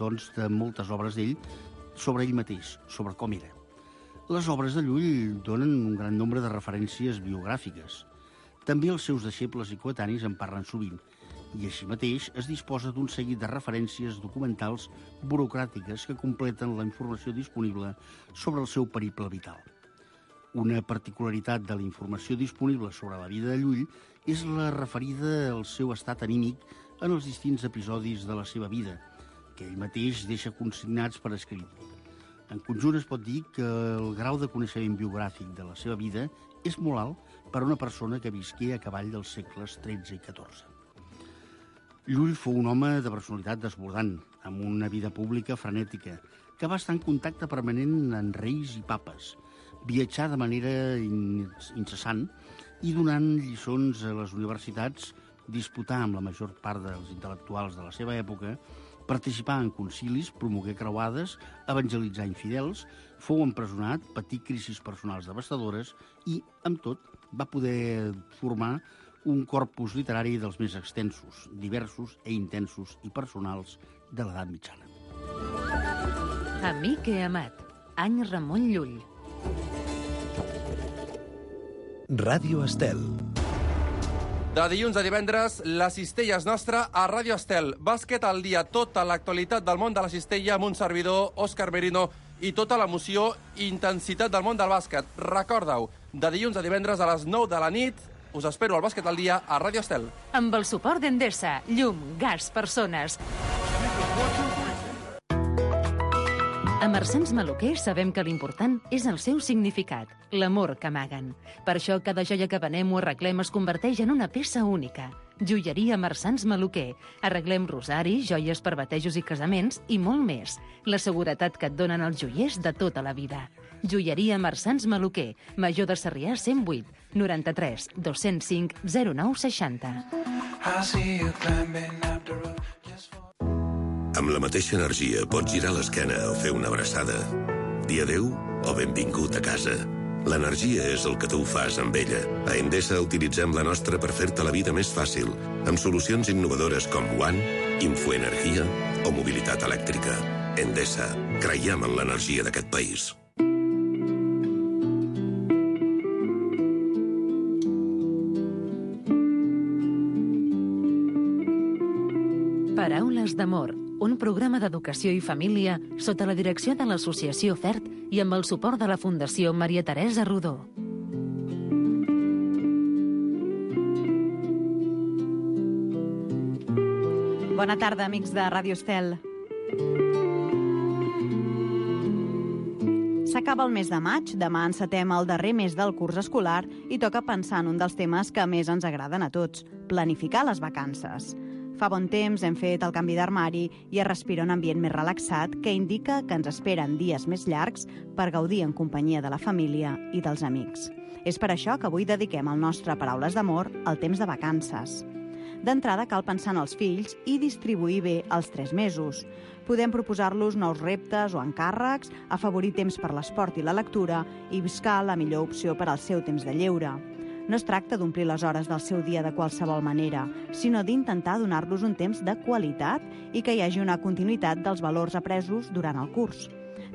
doncs, de moltes obres d'ell sobre ell mateix, sobre com era. Les obres de Llull donen un gran nombre de referències biogràfiques. També els seus deixebles i coetanis en parlen sovint, i així mateix es disposa d'un seguit de referències documentals burocràtiques que completen la informació disponible sobre el seu periple vital. Una particularitat de la informació disponible sobre la vida de Llull és la referida al seu estat anímic en els distints episodis de la seva vida, que ell mateix deixa consignats per escrit. En conjunt es pot dir que el grau de coneixement biogràfic de la seva vida és molt alt per a una persona que visqué a cavall dels segles XIII i XIV. Llull fou un home de personalitat desbordant, amb una vida pública frenètica, que va estar en contacte permanent amb reis i papes, viatjar de manera incessant i donant lliçons a les universitats, disputar amb la major part dels intel·lectuals de la seva època, participar en concilis, promogué creuades, evangelitzar infidels, fou empresonat, patí crisis personals devastadores i, amb tot, va poder formar un corpus literari dels més extensos, diversos i intensos i personals de l'edat mitjana. Amic i amat, any Ramon Llull. Ràdio Estel. De dilluns a divendres, la cistella és nostra a Ràdio Estel. Bàsquet al dia, tota l'actualitat del món de la cistella amb un servidor, Òscar Merino, i tota l'emoció i intensitat del món del bàsquet. Recorda-ho, de dilluns a divendres a les 9 de la nit, us espero al Bàsquet al dia a Ràdio Estel. Amb el suport d'Endesa, llum, gas, persones. A Marsans Maluquer sabem que l'important és el seu significat, l'amor que amaguen. Per això cada joia que venem o arreglem es converteix en una peça única. Joieria Marsans Maluquer. Arreglem rosaris, joies per batejos i casaments i molt més. La seguretat que et donen els joiers de tota la vida. Joieria Marsans Maluquer. Major de Sarrià 108 93 205 0960. Amb la mateixa energia pots girar l'esquena o fer una abraçada. Dir adéu o benvingut a casa. L'energia és el que tu fas amb ella. A Endesa utilitzem la nostra per fer-te la vida més fàcil, amb solucions innovadores com One, Infoenergia o mobilitat elèctrica. Endesa, creiem en l'energia d'aquest país. Paraules d'amor, un programa d'educació i família sota la direcció de l'Associació FERT i amb el suport de la Fundació Maria Teresa Rodó. Bona tarda, amics de Ràdio Estel. S'acaba el mes de maig, demà encetem el darrer mes del curs escolar i toca pensar en un dels temes que més ens agraden a tots, planificar les vacances. Fa bon temps hem fet el canvi d'armari i es respira un ambient més relaxat que indica que ens esperen dies més llargs per gaudir en companyia de la família i dels amics. És per això que avui dediquem el nostre Paraules d'amor al temps de vacances. D'entrada cal pensar en els fills i distribuir bé els 3 mesos. Podem proposar-los nous reptes o encàrrecs, afavorir temps per l'esport i la lectura i buscar la millor opció per al seu temps de lleure. No es tracta d'omplir les hores del seu dia de qualsevol manera, sinó d'intentar donar-los un temps de qualitat i que hi hagi una continuïtat dels valors apresos durant el curs.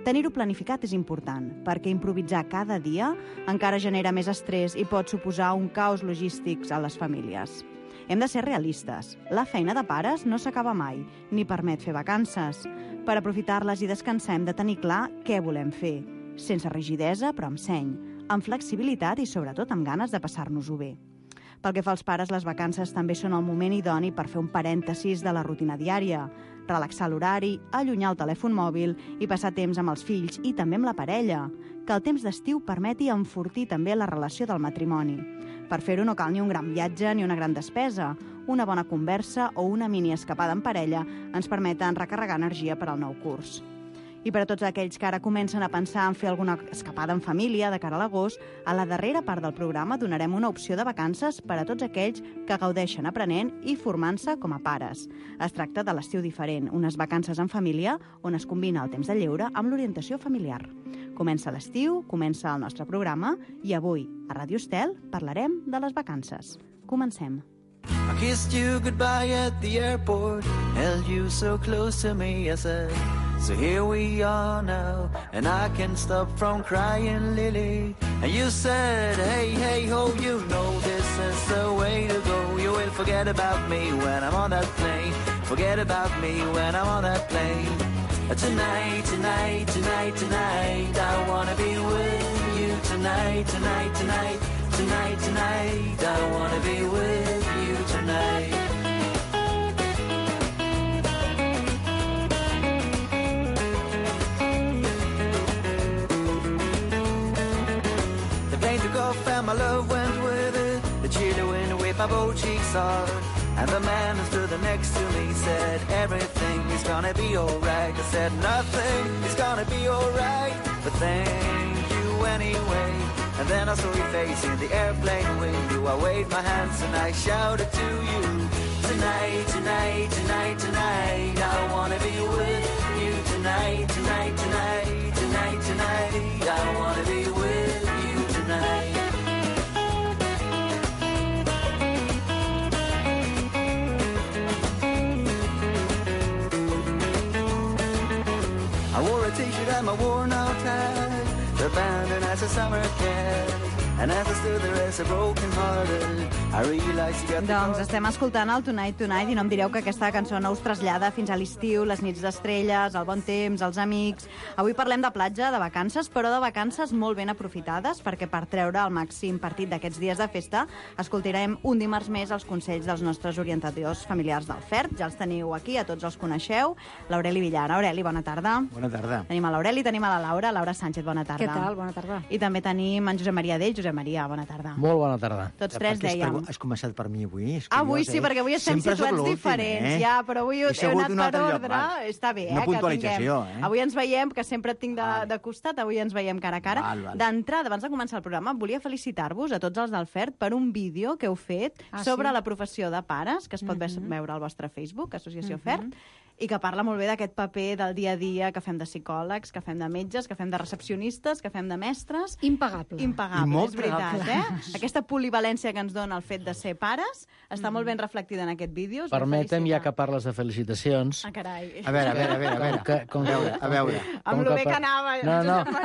Tenir-ho planificat és important, perquè improvisar cada dia encara genera més estrès i pot suposar un caos logístic a les famílies. Hem de ser realistes. La feina de pares no s'acaba mai, ni permet fer vacances. Per aprofitar-les i descansar hem de tenir clar què volem fer, sense rigidesa però amb seny, amb flexibilitat i, sobretot, amb ganes de passar-nos-ho bé. Pel que fa als pares, les vacances també són el moment idoni per fer un parèntesis de la rutina diària, relaxar l'horari, allunyar el telèfon mòbil i passar temps amb els fills i també amb la parella, que el temps d'estiu permeti enfortir també la relació del matrimoni. Per fer-ho no cal ni un gran viatge ni una gran despesa. Una bona conversa o una mini escapada en parella ens permeten recarregar energia per al nou curs. I per a tots aquells que ara comencen a pensar en fer alguna escapada en família de cara a l'agost, a la darrera part del programa donarem una opció de vacances per a tots aquells que gaudeixen aprenent i formant-se com a pares. Es tracta de l'estiu diferent, unes vacances en família on es combina el temps de lleure amb l'orientació familiar. Comença l'estiu, comença el nostre programa i avui, a Ràdio Estel, parlarem de les vacances. Comencem. I kissed you goodbye at the airport, held you so close to me, I said, so here we are now, and I can't stop from crying, Lily. And you said, hey, hey, ho, you know this is the way to go. You will forget about me when I'm on that plane. Forget about me when I'm on that plane. Tonight, tonight, tonight, tonight, I wanna be with you tonight, tonight, tonight, tonight, tonight, I wanna be with you tonight. The plane took off and my love went with it. The chilly wind whipped my both cheeks hard. And the man who stood next to me said, everything is gonna be alright. I said, nothing is gonna be alright, but thank you anyway. And then I saw your face in the airplane window. I waved my hands and I shouted to you, tonight, tonight, tonight, tonight, I wanna be with you tonight, tonight, tonight, tonight, tonight, I wanna be with you tonight. I wore a t-shirt and my worn-out hat, abandoned as a summer cat. And as I stood there as a broken-hearted, I realized you got the... Doncs estem escoltant el Tonight Tonight i no em direu que aquesta cançó no us trasllada fins a l'estiu, les nits d'estrelles, el bon temps, els amics... Avui parlem de platja, de vacances, però de vacances molt ben aprofitades, perquè per treure el màxim partit d'aquests dies de festa escoltarem un dimarts més els consells dels nostres orientadors familiars del FERT. Ja els teniu aquí, a tots els coneixeu. L'Aureli Villar. Aureli, bona tarda. Bona tarda. Tenim a l'Aureli, tenim a la Laura. Laura Sánchez, bona tarda. Què tal? Bona tarda. I també tenim en Josep Maria Dell. Josep Maria, bona tarda. Molt bona tarda. Tots tres dèiem. Has començat per mi avui? Avui sí, perquè avui estem situats diferents. Ja, però avui he anat per ordre. Està bé, una puntualització, eh? Avui ens veiem, que sempre et tinc de costat, avui ens veiem cara a cara. D'entrada, abans de començar el programa, volia felicitar-vos a tots els del FERT per un vídeo que heu fet sobre la professió de pares, que es pot veure al vostre Facebook, Associació FERT, i que parla molt bé d'aquest paper del dia a dia que fem de psicòlegs, que fem de metges, que fem de recepcionistes, que fem de mestres. Impagable. Impagable, és veritat, eh? Aquesta polivalència que ens dona el fet de ser pares està molt ben reflectida en aquest vídeo. Permetem, ja que parles de felicitacions... Ah, carai. A veure. A veure. Amb lo bé que anava.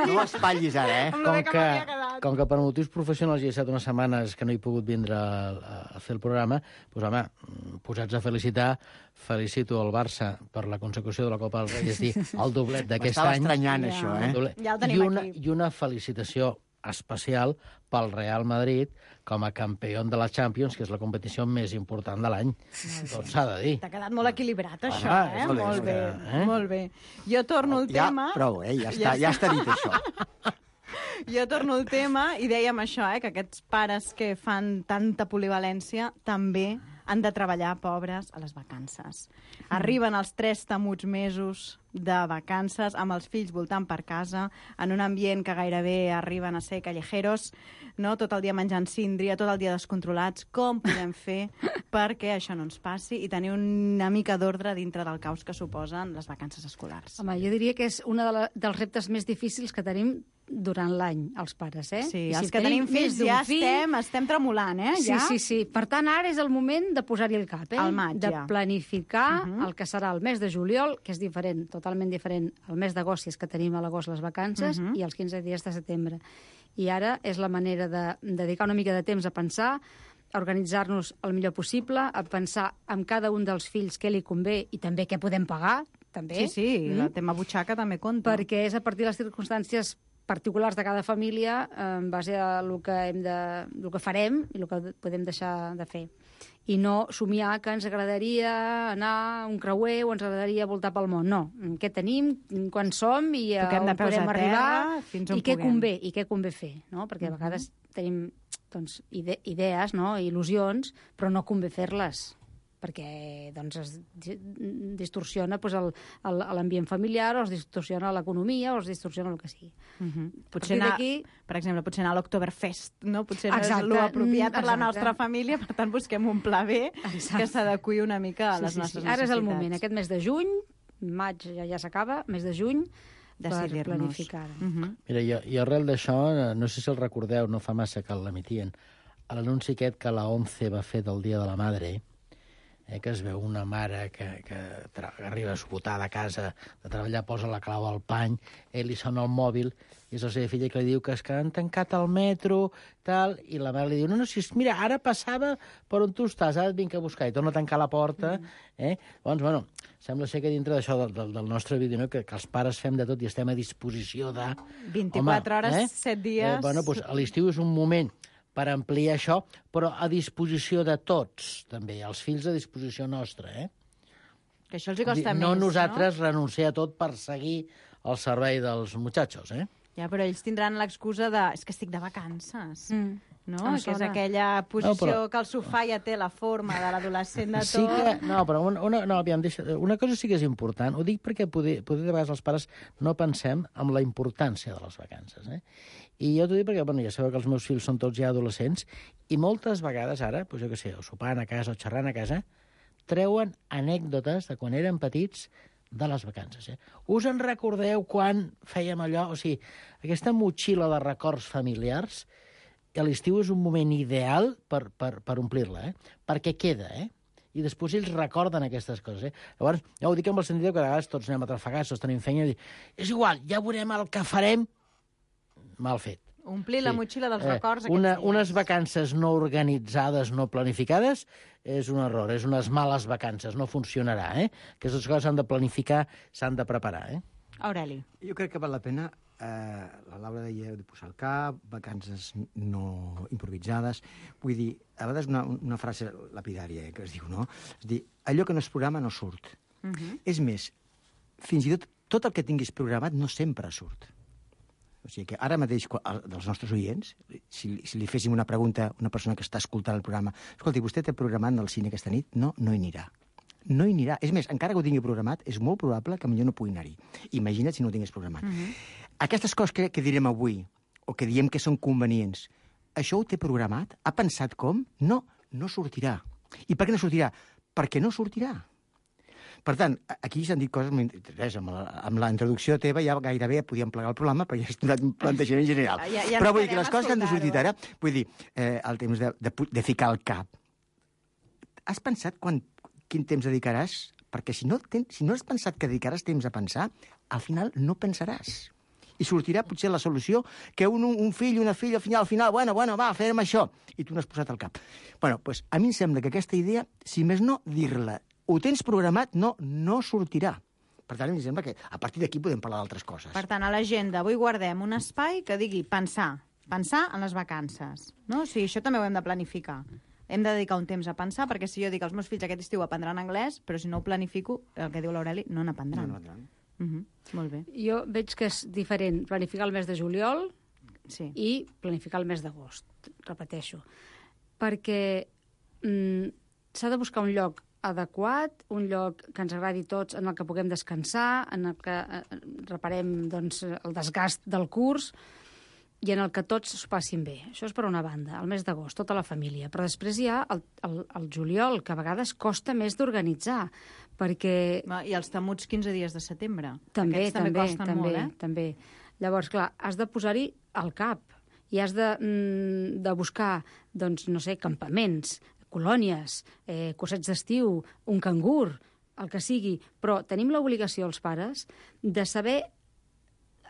No espatllis ara, eh? Amb lo bé que m'havia quedat. Com que per motius professionals hi he estat unes setmanes que no he pogut vindre a fer el programa, doncs, home, posats a felicitar, felicito el Barça per la consecució de la Copa del Rei, és dir, el doblet d'aquest any. M'estava estranyant, això, eh? Ja el tenim aquí. I una felicitació especial pel Real Madrid com a campió de la Champions, que és la competició més important de l'any. Tot s'ha de dir. T'ha quedat molt equilibrat, això, eh? Molt bé, molt bé. Jo torno al tema... Prou, ja està dit, això. Jo torno al tema i dèiem això, que aquests pares que fan tanta polivalència també han de treballar, pobres, a les vacances. Arriben els 3 temuts mesos de vacances amb els fills voltant per casa, en un ambient que gairebé arriben a ser callejeros, no? Tot el dia menjant síndria, tot el dia descontrolats. Com podem fer perquè això no ens passi i tenir una mica d'ordre dintre del caos que suposen les vacances escolars? Home, jo diria que és un dels reptes més difícils que tenim durant l'any, els pares, eh? Sí, els que tenim fills ja estem tremolant, eh? Sí. Per tant, ara és el moment de posar-hi el cap, eh? Al maig, de planificar el que serà el mes de juliol, que és diferent, totalment diferent al mes d'agost, si és que tenim a l'agost les vacances, i els 15 dies de setembre. I ara és la manera de dedicar una mica de temps a pensar, a organitzar-nos el millor possible, a pensar en cada un dels fills què li convé i també què podem pagar, també. Sí, el tema butxaca també compta. Perquè és a partir de les circumstàncies particulars de cada família en base a el que farem i el que podem deixar de fer. I no somiar que ens agradaria anar a un creuer o ens agradaria voltar pel món. No, què tenim, quan som i on podem arribar i què convé fer. No? Perquè a vegades tenim idees, no? Il·lusions, però no convé fer-les perquè es distorsiona l'ambient familiar, o es distorsiona l'economia, o es distorsiona el que sigui. Potser anar, per exemple, anar a l'Oktoberfest, no? Potser no és l'apropiat per la nostra família, per tant busquem un pla B que s'adequi una mica a les nostres necessitats. Ara és el moment, aquest mes de juny, maig ja s'acaba, mes de juny, per planificar. Mira, i arrel d'això, no sé si el recordeu, no fa massa que l'emitien, l'anunci aquest que la ONCE va fer del Dia de la Madre, que es veu una mare que arriba esgotada a casa de treballar, posa la clau al pany, li sona el mòbil, i és la seva filla que li diu que és que han tancat el metro, tal, i la mare li diu, no, si mira, ara passava per on tu estàs, ara et vinc a buscar, i torna a tancar la porta. Llavors, bueno, sembla ser que dintre d'això del nostre vídeo, no? que els pares fem de tot i estem a disposició de... 24 hores, 7 dies... Bueno, doncs l'estiu és un moment per ampliar això, però a disposició de tots, també, els fills a disposició nostra, Que això els hi costa més, no? Nosaltres renunciar a tot per seguir al servei dels muchachos, Ja, però ells tindran l'excusa de... És que estic de vacances, no? Que és sona. aquella posició que el sofà ja té la forma de l'adolescent de tot. Sí que... No, però una cosa sí que és important. Ho dic perquè poder de vegades els pares no pensem en la importància de les vacances, I jo t'ho dic perquè, ja sabeu que els meus fills són tots ja adolescents i moltes vegades ara, jo què sé, o sopant a casa o xerrant a casa, treuen anècdotes de quan eren petits de les vacances. Us en recordeu quan fèiem allò? O sigui, aquesta motxilla de records familiars, a l'estiu és un moment ideal per omplir-la, perquè queda, I després ells recorden aquestes coses, Llavors, ja ho dic amb el sentit que a vegades tots anem atrafegats, tots tenim feina, i és igual, ja veurem el que farem. Mal fet. Omplir la motxilla dels records aquests dies. Unes vacances no organitzades, no planificades, és un error, és unes males vacances, no funcionarà, Aquestes coses s'han de planificar, s'han de preparar, Aureli. Jo crec que val la pena, la Laura deia de posar el cap, vacances no improvisades, vull dir, a vegades una frase lapidària que es diu, no? És dir, allò que no es programa no surt. És més, fins i tot el que tinguis programat no sempre surt. O sigui que ara mateix, dels nostres oients, si li féssim una pregunta a una persona que està escoltant el programa, escolti, vostè té programat el cine aquesta nit? No, no hi anirà. No hi anirà. És més, encara que ho tingui programat, és molt probable que millor no pugui anar-hi. Imagina't si no ho tingués programat. Aquestes coses que direm avui, o que diem que són convenients, això ho té programat? Ha pensat com? No, no sortirà. I per què no sortirà? Perquè no sortirà. Per tant, aquí s'han dit coses molt interesants. Amb la introducció teva ja gairebé podíem plegar el programa, però ja és un plantejament general. Però vull dir que les coses que han de sortir ara, vull dir, el temps de ficar el cap. Has pensat quin temps dedicaràs? Perquè si no has pensat que dedicaràs temps a pensar, al final no pensaràs. I sortirà potser la solució que un fill, una filla, al final, bueno, va, fem això. I tu no has posat el cap. Bueno, doncs a mi em sembla que aquesta idea, si més no, dir-la, ho tens programat, no sortirà. Per tant, em sembla que a partir d'aquí podem parlar d'altres coses. Per tant, a l'agenda avui guardem un espai que digui pensar en les vacances. No? O sigui, això també ho hem de planificar. Hem de dedicar un temps a pensar, perquè si jo dic als meus fills aquest estiu aprendran anglès, però si no ho planifico, el que diu l'Aureli, no n'aprendran. Molt bé. Jo veig que és diferent planificar el mes de juliol i planificar el mes d'agost, repeteixo. Perquè s'ha de buscar un lloc adequat, un lloc que ens agradi a tots, en el que puguem descansar, en el que reparem el desgast del curs i en el que tots s'ho passin bé. Això és per una banda, el mes d'agost, tota la família. Però després hi ha el juliol, que a vegades costa més d'organitzar, perquè... I els temuts 15 dies de setembre. També costen molt, també. Llavors, clar, has de posar-hi al cap i has de buscar, doncs, no sé, campaments, colònies, cursets d'estiu, un cangur, el que sigui, però tenim l'obligació, els pares, de saber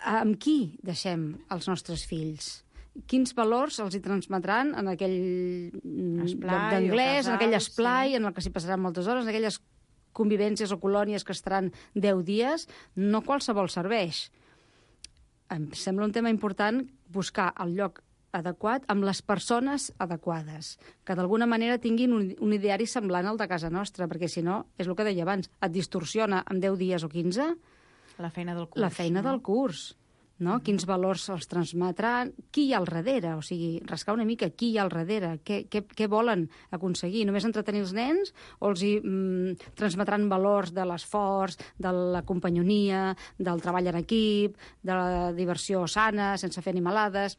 amb qui deixem els nostres fills. Quins valors els hi transmetran en aquell lloc d'anglès, en aquell esplai, en el que s'hi passaran moltes hores, en aquelles convivències o colònies que estaran 10 dies, no qualsevol serveix. Em sembla un tema important buscar el lloc adequat amb les persones adequades, que d'alguna manera tinguin un ideari semblant al de casa nostra, perquè si no, és el que deia abans, et distorsiona en 10 dies o 15 la feina del curs. La feina del curs. No? Quins valors els transmetran, qui hi ha al darrere, o sigui, rascar una mica qui hi ha al darrere, què volen aconseguir, només entretenir els nens o els transmetran valors de l'esforç, de la companyonia, del treball en equip, de la diversió sana, sense fer animalades.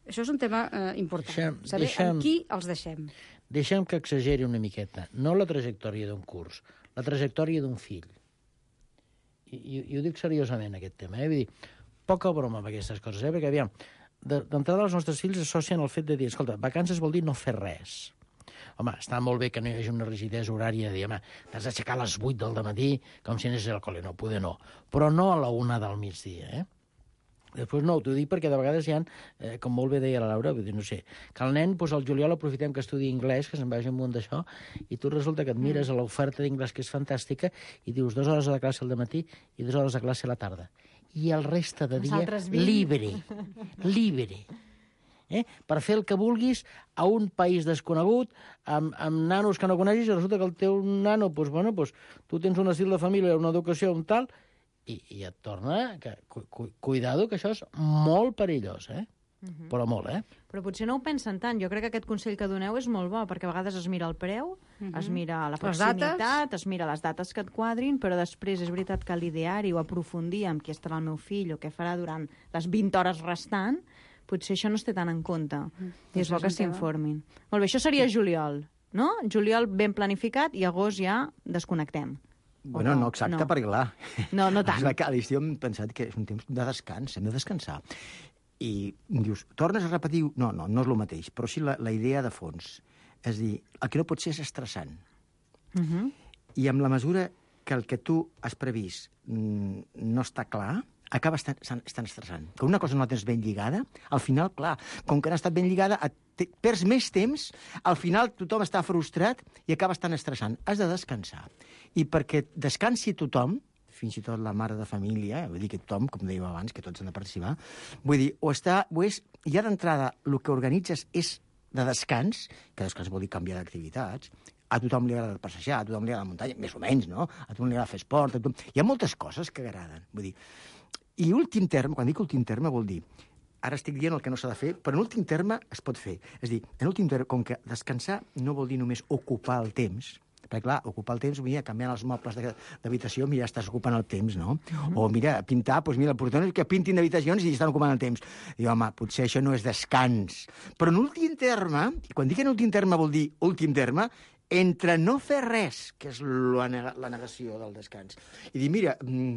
Això és un tema important, saber amb qui els deixem. Deixem que exageri una miqueta, no la trajectòria d'un curs, la trajectòria d'un fill. I ho dic seriosament, aquest tema, Vull dir, poca broma amb aquestes coses, perquè, aviam, d'entrada els nostres fills associen el fet de dir, escolta, vacances vol dir no fer res. Home, està molt bé que no hi hagi una rigidesa horària de dir, home, t'has d'aixecar a les 8 del dematí com si anessis al col·le. No, poder no. Però no a la 1 del migdia, Després no, t'ho dic perquè de vegades hi ha, com molt bé deia la Laura, vull dir, no sé, que el nen, doncs, al juliol aprofitem que estudi anglès, que se'n vagi amunt d'això, i tu resulta que et mires a l'oferta d'inglès, que és fantàstica, i dius 2 hores de classe al dematí i 2 hores de classe a la tarda. I el reste de dia, libre. Per fer el que vulguis a un país desconegut, amb nanos que no coneixis, i resulta que el teu nano, tu tens un estil de família, una educació, un tal, i et torna... Cuidado, que això és molt perillós, Però molt, Però potser no ho pensen tant. Jo crec que aquest consell que doneu és molt bo, perquè a vegades es mira el preu, es mira la proximitat, es mira les dates que et quadrin, però després és veritat que l'ideari o aprofundir amb qui estarà el meu fill o què farà durant les 20 hores restant, potser això no es té tant en compte. I és bo que s'informin. Molt bé, això seria juliol, no? Juliol ben planificat i agost ja desconnectem. Bueno, no exacte, perquè clar... No tant. A l'estiu hem pensat que és un temps de descans, hem de descansar. I dius, tornes a repetir... No és el mateix, però sí la idea de fons. És a dir, el que no pot ser és estressant. I amb la mesura que el que tu has previst no està clar, acaba estant estressant. Que una cosa no la tens ben lligada, al final, clar, com que no ha estat ben lligada, perds més temps, al final tothom està frustrat i acaba estant estressant. Has de descansar. I perquè descansi tothom, fins i tot la mare de família, vull dir que tothom, com dèiem abans, que tots han de participar, vull dir, ja d'entrada el que organitzes és de descans, que descans vol dir canviar d'activitats, a tothom li agrada passejar, a tothom li agrada la muntanya, més o menys, no? A tothom li agrada fer esport, hi ha moltes coses que agraden, vull dir. I últim terme, quan dic últim terme vol dir, ara estic dient el que no s'ha de fer, però en últim terme es pot fer. És a dir, en últim terme, com que descansar no vol dir només ocupar el temps, perquè, clar, ocupar el temps, mira, canviant els mobles d'habitació, mira, estàs ocupant el temps, no? O, mira, pintar, doncs mira, el portón és que pintin d'habitacions i estan ocupant el temps. I, home, potser això no és descans. Però en últim terme, i quan dic en últim terme vol dir últim terme, entre no fer res, que és la negació del descans, i dir, mira,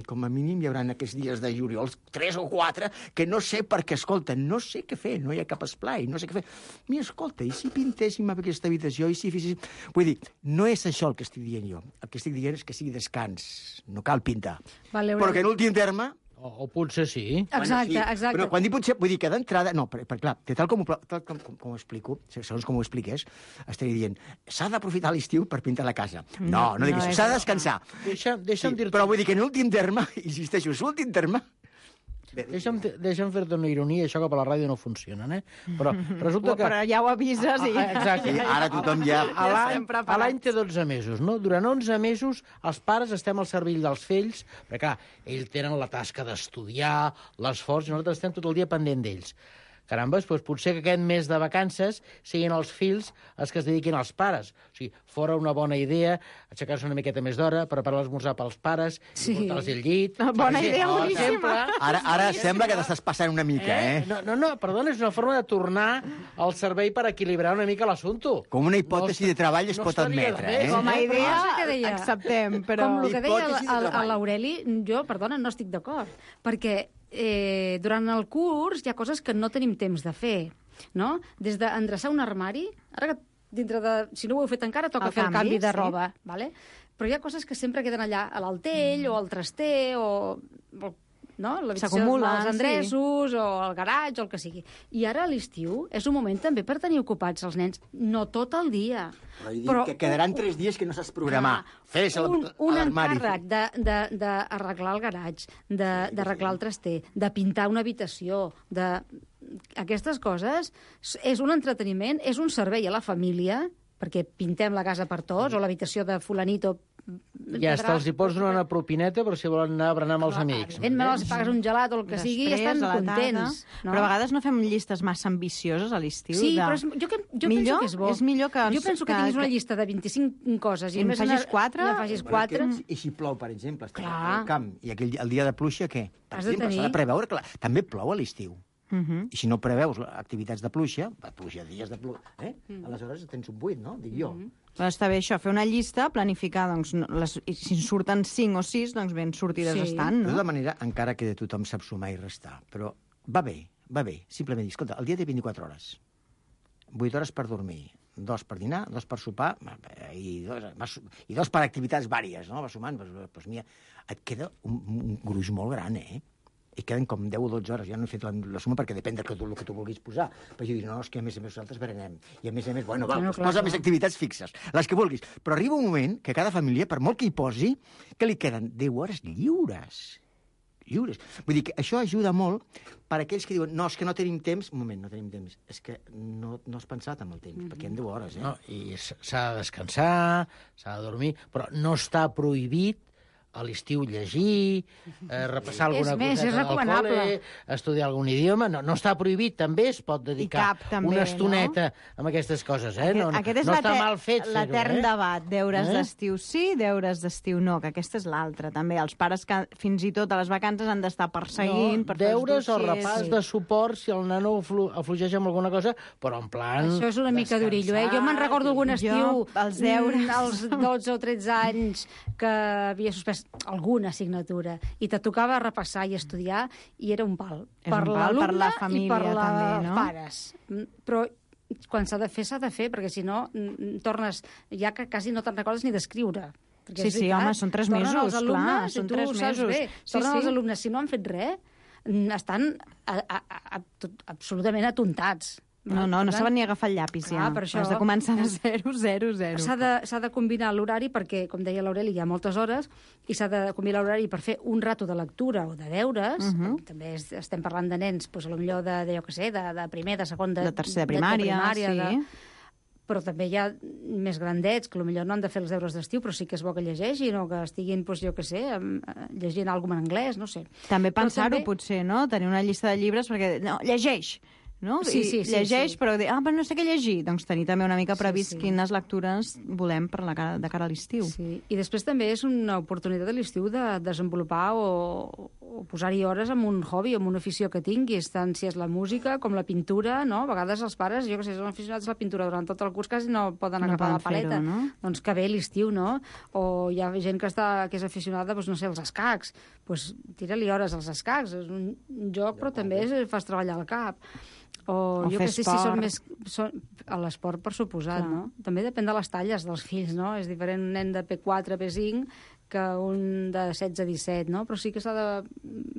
com a mínim hi haurà aquests dies de juliol, 3 o 4, que no sé perquè, escolta, no sé què fer, no hi ha cap esplai, no sé què fer. Mira, escolta, i si pintéssim aquesta habitació, i si féssim... Vull dir, no és això el que estic dient jo. El que estic dient és que sigui descans, no cal pintar. Però que en últim terme... O potser sí. Exacte. Però quan dic potser, vull dir que d'entrada... No, perquè clar, tal com ho explico, segons com ho expliques, estaré dient, s'ha d'aprofitar l'estiu per pintar la casa. No dic això, s'ha de descansar. Deixa'm dir-te... Però vull dir que en últim terme, insisteixo, és l'últim terme... Deixa'm fer-te una ironia, això que per la ràdio no funciona, Però resulta que... Però ja ho avises i... Exacte. Sí, ara tothom ja... L'any té 12 mesos, no? Durant 11 mesos els pares estem al cervell dels fills, perquè, clar, ells tenen la tasca d'estudiar, l'esforç, i nosaltres estem tot el dia pendent d'ells. Carambes, doncs potser que aquest mes de vacances siguin els fills els que es dediquin als pares. O sigui, fora una bona idea aixecar-se una miqueta més d'hora, preparar l'esmorzar pels pares, i portar-los al llit... Bona idea, boníssima! Ara sembla que t'estàs passant una mica, No, perdona, és una forma de tornar al servei per equilibrar una mica l'assumpte. Com una hipòtesi de treball es pot admetre, Com a idea, acceptem, però... Com el que deia l'Aureli, jo, perdona, no estic d'acord, perquè durant el curs hi ha coses que no tenim temps de fer, no? Des d'endreçar un armari, ara que dintre de... Si no ho heu fet encara, toca fer el canvi de roba, vale? Però hi ha coses que sempre queden allà, a l'altell, o al traster, o no? L'habitació dels endreços, o el garatge, o el que sigui. I ara a l'estiu és un moment també per tenir ocupats els nens, no tot el dia. Però que quedaran 3 dies que no saps programar. Fes un encàrrec d'arreglar el garatge, d'arreglar el traster, de pintar una habitació, aquestes coses és un entreteniment, és un servei a la família, perquè pintem la casa per tots, o l'habitació de fulanito. Ja està, els hi pots donar una propineta, però si volen anar a berenar amb els amics. Evidentment, els pagues un gelat o el que sigui i estan contents. Però a vegades no fem llistes massa ambicioses a l'estiu. Sí, però jo penso que és bo. És millor que... Jo penso que tinguis una llista de 25 coses i en facis 4. I si plou, per exemple, estàs al camp, i el dia de pluja, què? Per exemple, s'ha de preveure que també plou a l'estiu. I si no preveus activitats de pluja, dies de pluja, aleshores tens un buit, no? Dic jo. Està bé això, fer una llista, planificar, doncs, si en surten 5 o 6, doncs ben sortides estan, no? De tota manera, encara que tothom sap sumar i restar, però va bé va bé, simplement dir, escolta, el dia té 24 hores, 8 hores per dormir, 2 per dinar, 2 per sopar, i 2 per activitats vàries, no? Va sumant, doncs mira, et queda un gruix molt gran, I queden com 10 o 12 hores. Ja no he fet la suma perquè depèn del que tu vulguis posar. Però jo dic, no, és que a més nosaltres berenem. I a més, bueno, posa més activitats fixes, les que vulguis. Però arriba un moment que cada família, per molt que hi posi, que li queden 10 hores lliures. Vull dir que això ajuda molt per a aquells que diuen, no, és que no tenim temps. Un moment, no tenim temps. És que no has pensat en el temps, perquè hi ha 10 hores, No, i s'ha de descansar, s'ha de dormir, però no està prohibit a l'estiu llegir, repassar alguna coseta al col·le, estudiar algun idioma. No està prohibit, també es pot dedicar una estoneta amb aquestes coses. No està mal fet fer-ho. L'etern debat, deures d'estiu sí, deures d'estiu no, que aquesta és l'altra, també. Els pares que fins i tot a les vacances han d'estar perseguint... Deures o repàs de suport si el nano afluixeix amb alguna cosa, però en plan... Això és una mica d'orillo, Jo me'n recordo algun estiu, els deures, als 12 o 13 anys, que havia suspès alguna assignatura i te tocava repassar i estudiar i era un pal. Per l'alumne i per els pares. Però quan s'ha de fer, perquè si no tornes, ja que quasi no te'n recordes ni d'escriure. Sí, home, són 3 mesos, clar, són 3 mesos. Tornen els alumnes, si no han fet res, estan absolutament atontats. No saben ni agafar el llapis, ja. Per això, has de començar de 0. S'ha de combinar l'horari perquè, com deia l'Aureli, hi ha moltes hores, i s'ha de combinar l'horari per fer un rato de lectura o de deures. També estem parlant de nens, potser de jo què sé, de primer, de segon, de tercer de primària, sí. Però també hi ha més grandets que potser no han de fer els deures d'estiu, però sí que és bo que llegeixin o que estiguin, jo què sé, llegint alguna cosa en anglès, no sé. També pensar-ho, potser, no? Tenir una llista de llibres perquè... No, llegeix! No? Sí, llegeix, però dir, però no sé què llegir. Doncs tenir també una mica previst quines lectures volem de cara a l'estiu. Sí. I després també és una oportunitat a l'estiu de desenvolupar o posar-hi hores amb un hobby, amb una afició que tinguis, tant si és la música com la pintura, no? A vegades els pares, jo que sé, són aficionats a la pintura durant tot el curs, quasi no poden agafar la paleta. No? Doncs que bé l'estiu, no? O hi ha gent que és aficionada, doncs, no sé, als escacs. Doncs tira-li hores als escacs. És un joc, però també fas treballar el cap. O jo que sé si són més... A l'esport, per suposat, no? També depèn de les talles dels fills, no? És diferent un nen de P4, P5, que un de 16 a 17, no? Però sí que s'ha de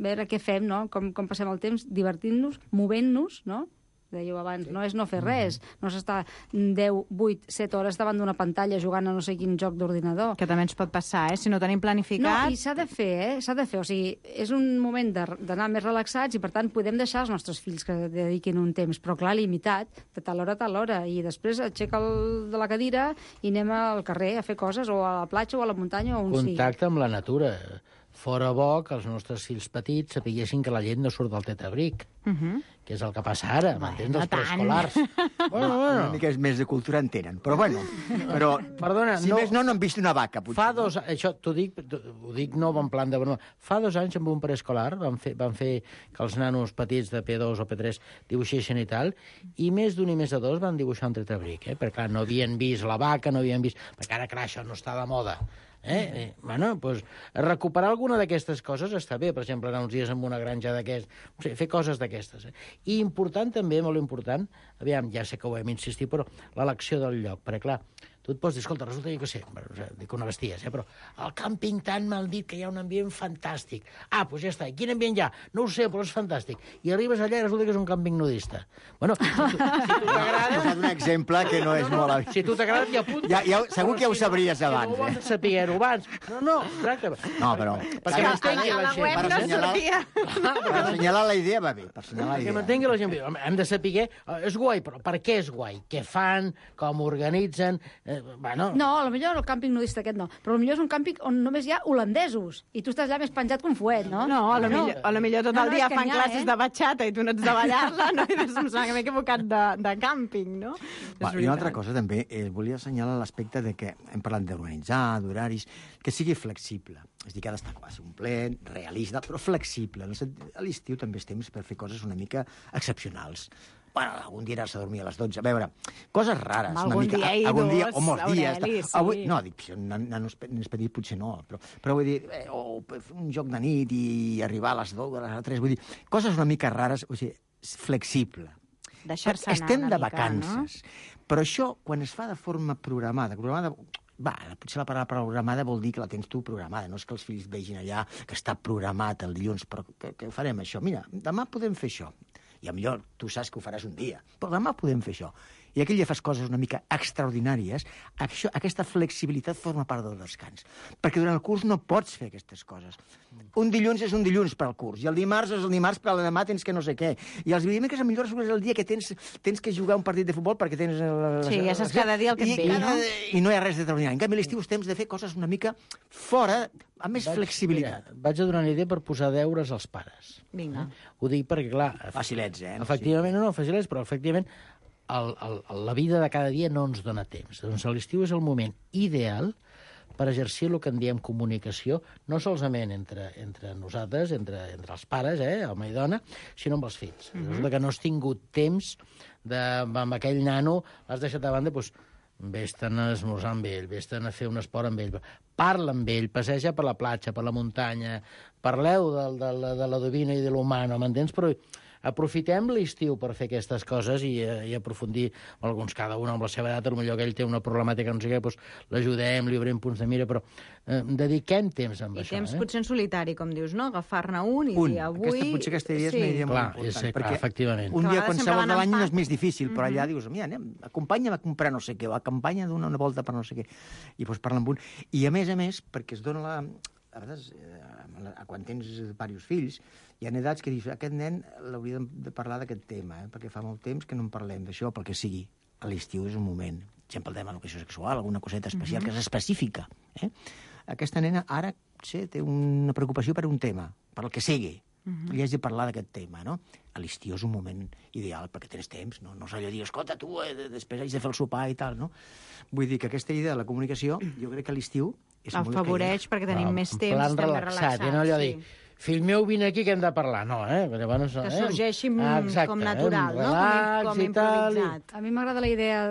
veure què fem, no? Com passem el temps, divertint-nos, movent-nos, no? Dèieu abans, no és no fer res, no s'està 10, 8, 7 hores davant d'una pantalla jugant a no sé quin joc d'ordinador. Que també ens pot passar, si no tenim planificat... No, i s'ha de fer, o sigui, és un moment d'anar més relaxats i, per tant, podem deixar els nostres fills que dediquin un temps, però, clar, limitat, de tal hora, i després aixeca'l de la cadira i anem al carrer a fer coses, o a la platja, o a la muntanya, o on sigui. Contacte amb la natura. Fora bo que els nostres fills petits sapiguessin que la llet no surt del tetabric, que és el que passa ara, m'entens, dels preescolars. Bueno. Una mica més de cultura en tenen, però bueno. Perdona, si més no han vist una vaca, potser. Fa 2 anys, això ho dic no en plan de broma, fa 2 anys amb un preescolar van fer que els nanos petits de P2 o P3 dibuixessin i tal, i més d'un i més de 2 van dibuixar un tetabric, perquè clar, no havien vist la vaca, no havien vist... Perquè ara, clar, això no està de moda. Bueno, doncs, recuperar alguna d'aquestes coses està bé, per exemple, anar uns dies amb una granja d'aquestes, no sé, fer coses d'aquestes. I important també, molt important, aviam, ja sé que ho hem insistit, però l'elecció del lloc, perquè clar, tu et pots dir, escolta, resulta jo què sé, dic una besties, però al càmping tant m'han dit que hi ha un ambient fantàstic. Doncs ja està, i quin ambient hi ha? No ho sé, però és fantàstic. I arribes allà i resulta que és un càmping nudista. Bueno, si tu t'agrada... Has posat un exemple que no és molt... Si tu t'agrada, t'hi apuntes. Segur que ja ho sabries abans. No ho vols saber-ho abans. No, exacte. No, però... Perquè m'entengui la gent. A la web no sortia. Per assenyalar la idea va bé, per assenyalar la idea. Que m'entengui la gent. Hem de saber, és guai, però per què és guai? Què fan? Com organitzen? No, potser el càmping nudista aquest no, però potser és un càmping on només hi ha holandesos i tu estàs allà més penjat que un fuet, no? No, a lo millor tot el dia fan classes de batxata i tu no ets de ballar-la, no? I em sembla que m'he equivocat de càmping, no? I una altra cosa també, volia assenyalar l'aspecte de que hem parlat d'organitzar, d'horaris, que sigui flexible. És a dir, que ha d'estar quasi complet, realista, però flexible. A l'estiu també és temps per fer coses una mica excepcionals. Bueno, algun dia anar-se a dormir a les 12. A veure, coses rares. Algun dia o molts dies. Sí. Avui, no, dic, nanos petits potser no, però vull dir, un joc de nit i arribar a les 2, a les 3, vull dir, coses una mica rares. O sigui, flexible. Deixar-se anar Estem una de mica, vacances, però això, quan es fa de forma programada, potser la paraula programada vol dir que la tens tu programada, no és que els fills vegin allà que està programat el dilluns, però que farem això. Mira, demà podem fer això. I millor tu saps que ho faràs un dia, però demà podem fer això. I aquell dia fas coses una mica extraordinàries, aquesta flexibilitat forma part del descans. Perquè durant el curs no pots fer aquestes coses. Un dilluns és un dilluns per al curs, i el dimarts és el dimarts, però demà tens que no sé què. I els dimecres millor és el dia que tens que jugar un partit de futbol perquè tens... Sí, ja saps cada dia el que et ve, no? I no hi ha res d'extraordinari. En canvi, a l'estiu temps de fer coses una mica fora, amb més flexibilitat. Mira, vaig a donar una idea per posar deures als pares. Vinga. Ho dic perquè, clar... Facilets, Efectivament, no, facilets, però efectivament la vida de cada dia no ens dona temps. Doncs l'estiu és el moment ideal per exercir el que en diem comunicació, no solament entre nosaltres, entre els pares, home i dona, sinó amb els fills. Resulta que no has tingut temps amb aquell nano, l'has deixat a banda, doncs, vés-te'n a esmorzar amb ell, vés-te'n a fer un esport amb ell, parla amb ell, passeja per la platja, per la muntanya, parleu de la divina i de l'humano, m'entens? Però aprofitem l'estiu per fer aquestes coses i aprofundir, alguns cada un amb la seva edat, potser que ell té una problemàtica, no sé què, doncs l'ajudem, li obrim punts de mira, però dediquem temps amb això. I temps potser en solitari, com dius, no? Agafar-ne un i dir avui... Potser aquesta idea és una idea molt important. Clar, efectivament. Un dia qualsevol de l'any no és més difícil, però allà dius, mira, anem, acompanya'm a comprar no sé què, o acompanya a donar una volta per no sé què. I doncs parla amb un. I a més, perquè es dona a vegades, quan tens diversos fills, hi ha edats que dius, aquest nen l'hauria de parlar d'aquest tema, perquè fa molt temps que no en parlem d'això, pel que sigui. A l'estiu és un moment. Per exemple, el tema de l'educació sexual, alguna coseta especial que és específica. Aquesta nena ara té una preocupació per un tema, per el que sigui. Li has de parlar d'aquest tema, no? A l'estiu és un moment ideal perquè tens temps, no és allò de dir, escolta, tu, després haig de fer el sopar i tal, no? Vull dir que aquesta idea de la comunicació, jo crec que a l'estiu és molt afavoreix perquè tenim més temps, estem més relaxats. No allò de dir, fill meu, vine aquí que hem de parlar. No, Llavors, que sorgeixi com natural, no? Com improvisat. A mi m'agrada la idea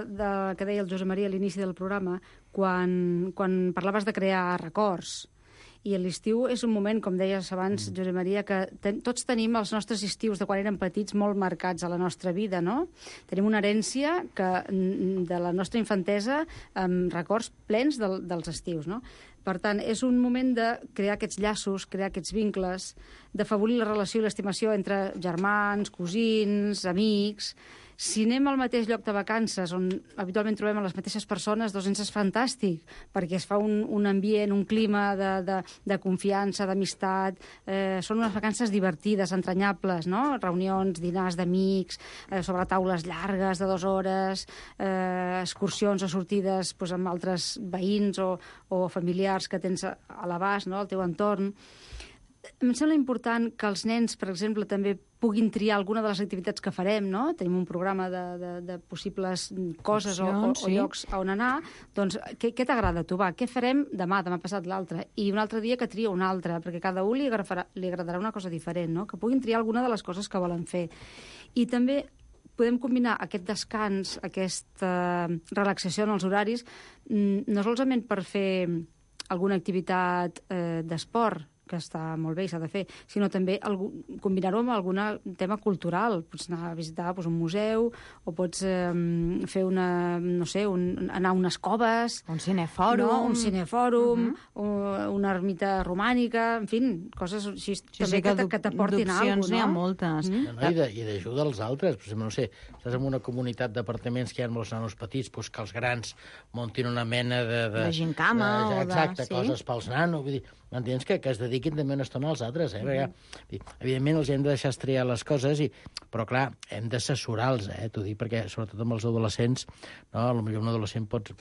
que deia el Josep Maria a l'inici del programa, quan parlaves de crear records. I l'estiu és un moment, com deies abans, Josep Maria, que tots tenim els nostres estius de quan érem petits molt marcats a la nostra vida, no? Tenim una herència de la nostra infantesa amb records plens dels estius, no? Per tant, és un moment de crear aquests llaços, crear aquests vincles, d'afavorir la relació i l'estimació entre germans, cosins, amics. Si anem al mateix lloc de vacances, on habitualment trobem a les mateixes persones, doncs ens és fantàstic, perquè es fa un ambient, un clima de confiança, d'amistat. Són unes vacances divertides, entranyables, no? Reunions, dinars d'amics, sobre taules llargues de 2 hores, excursions o sortides amb altres veïns o familiars que tens a l'abast, no? Al teu entorn. Em sembla important que els nens, per exemple, també puguin triar alguna de les activitats que farem, no? Tenim un programa de possibles coses o llocs on anar. Doncs, què t'agrada a tu? Va, què farem demà passat l'altre? I un altre dia que tria un altre, perquè cada un li agradarà una cosa diferent, no? Que puguin triar alguna de les coses que volen fer. I també podem combinar aquest descans, aquesta relaxació en els horaris, no solament per fer alguna activitat d'esport, que està molt bé i s'ha de fer, sinó també combinar-ho amb algun tema cultural. Pots anar a visitar un museu, o pots fer anar a unes coves... Un cinefòrum. Una ermita romànica, en fi, coses així també que t'aportin alguna cosa. D'opcions n'hi ha moltes. I d'ajuda als altres. Per exemple, no sé, estàs en una comunitat d'apartaments que hi ha molts nanos petits, doncs que els grans muntin una mena de gincama o de... Exacte, coses pels nanos. Vull dir, m'entens? Que es dediquin també una estona als altres, perquè, evidentment, els hem de deixar estriar les coses, però, clar, hem d'assessorar-los, t'ho dic, perquè, sobretot amb els adolescents, no? Potser un adolescent pot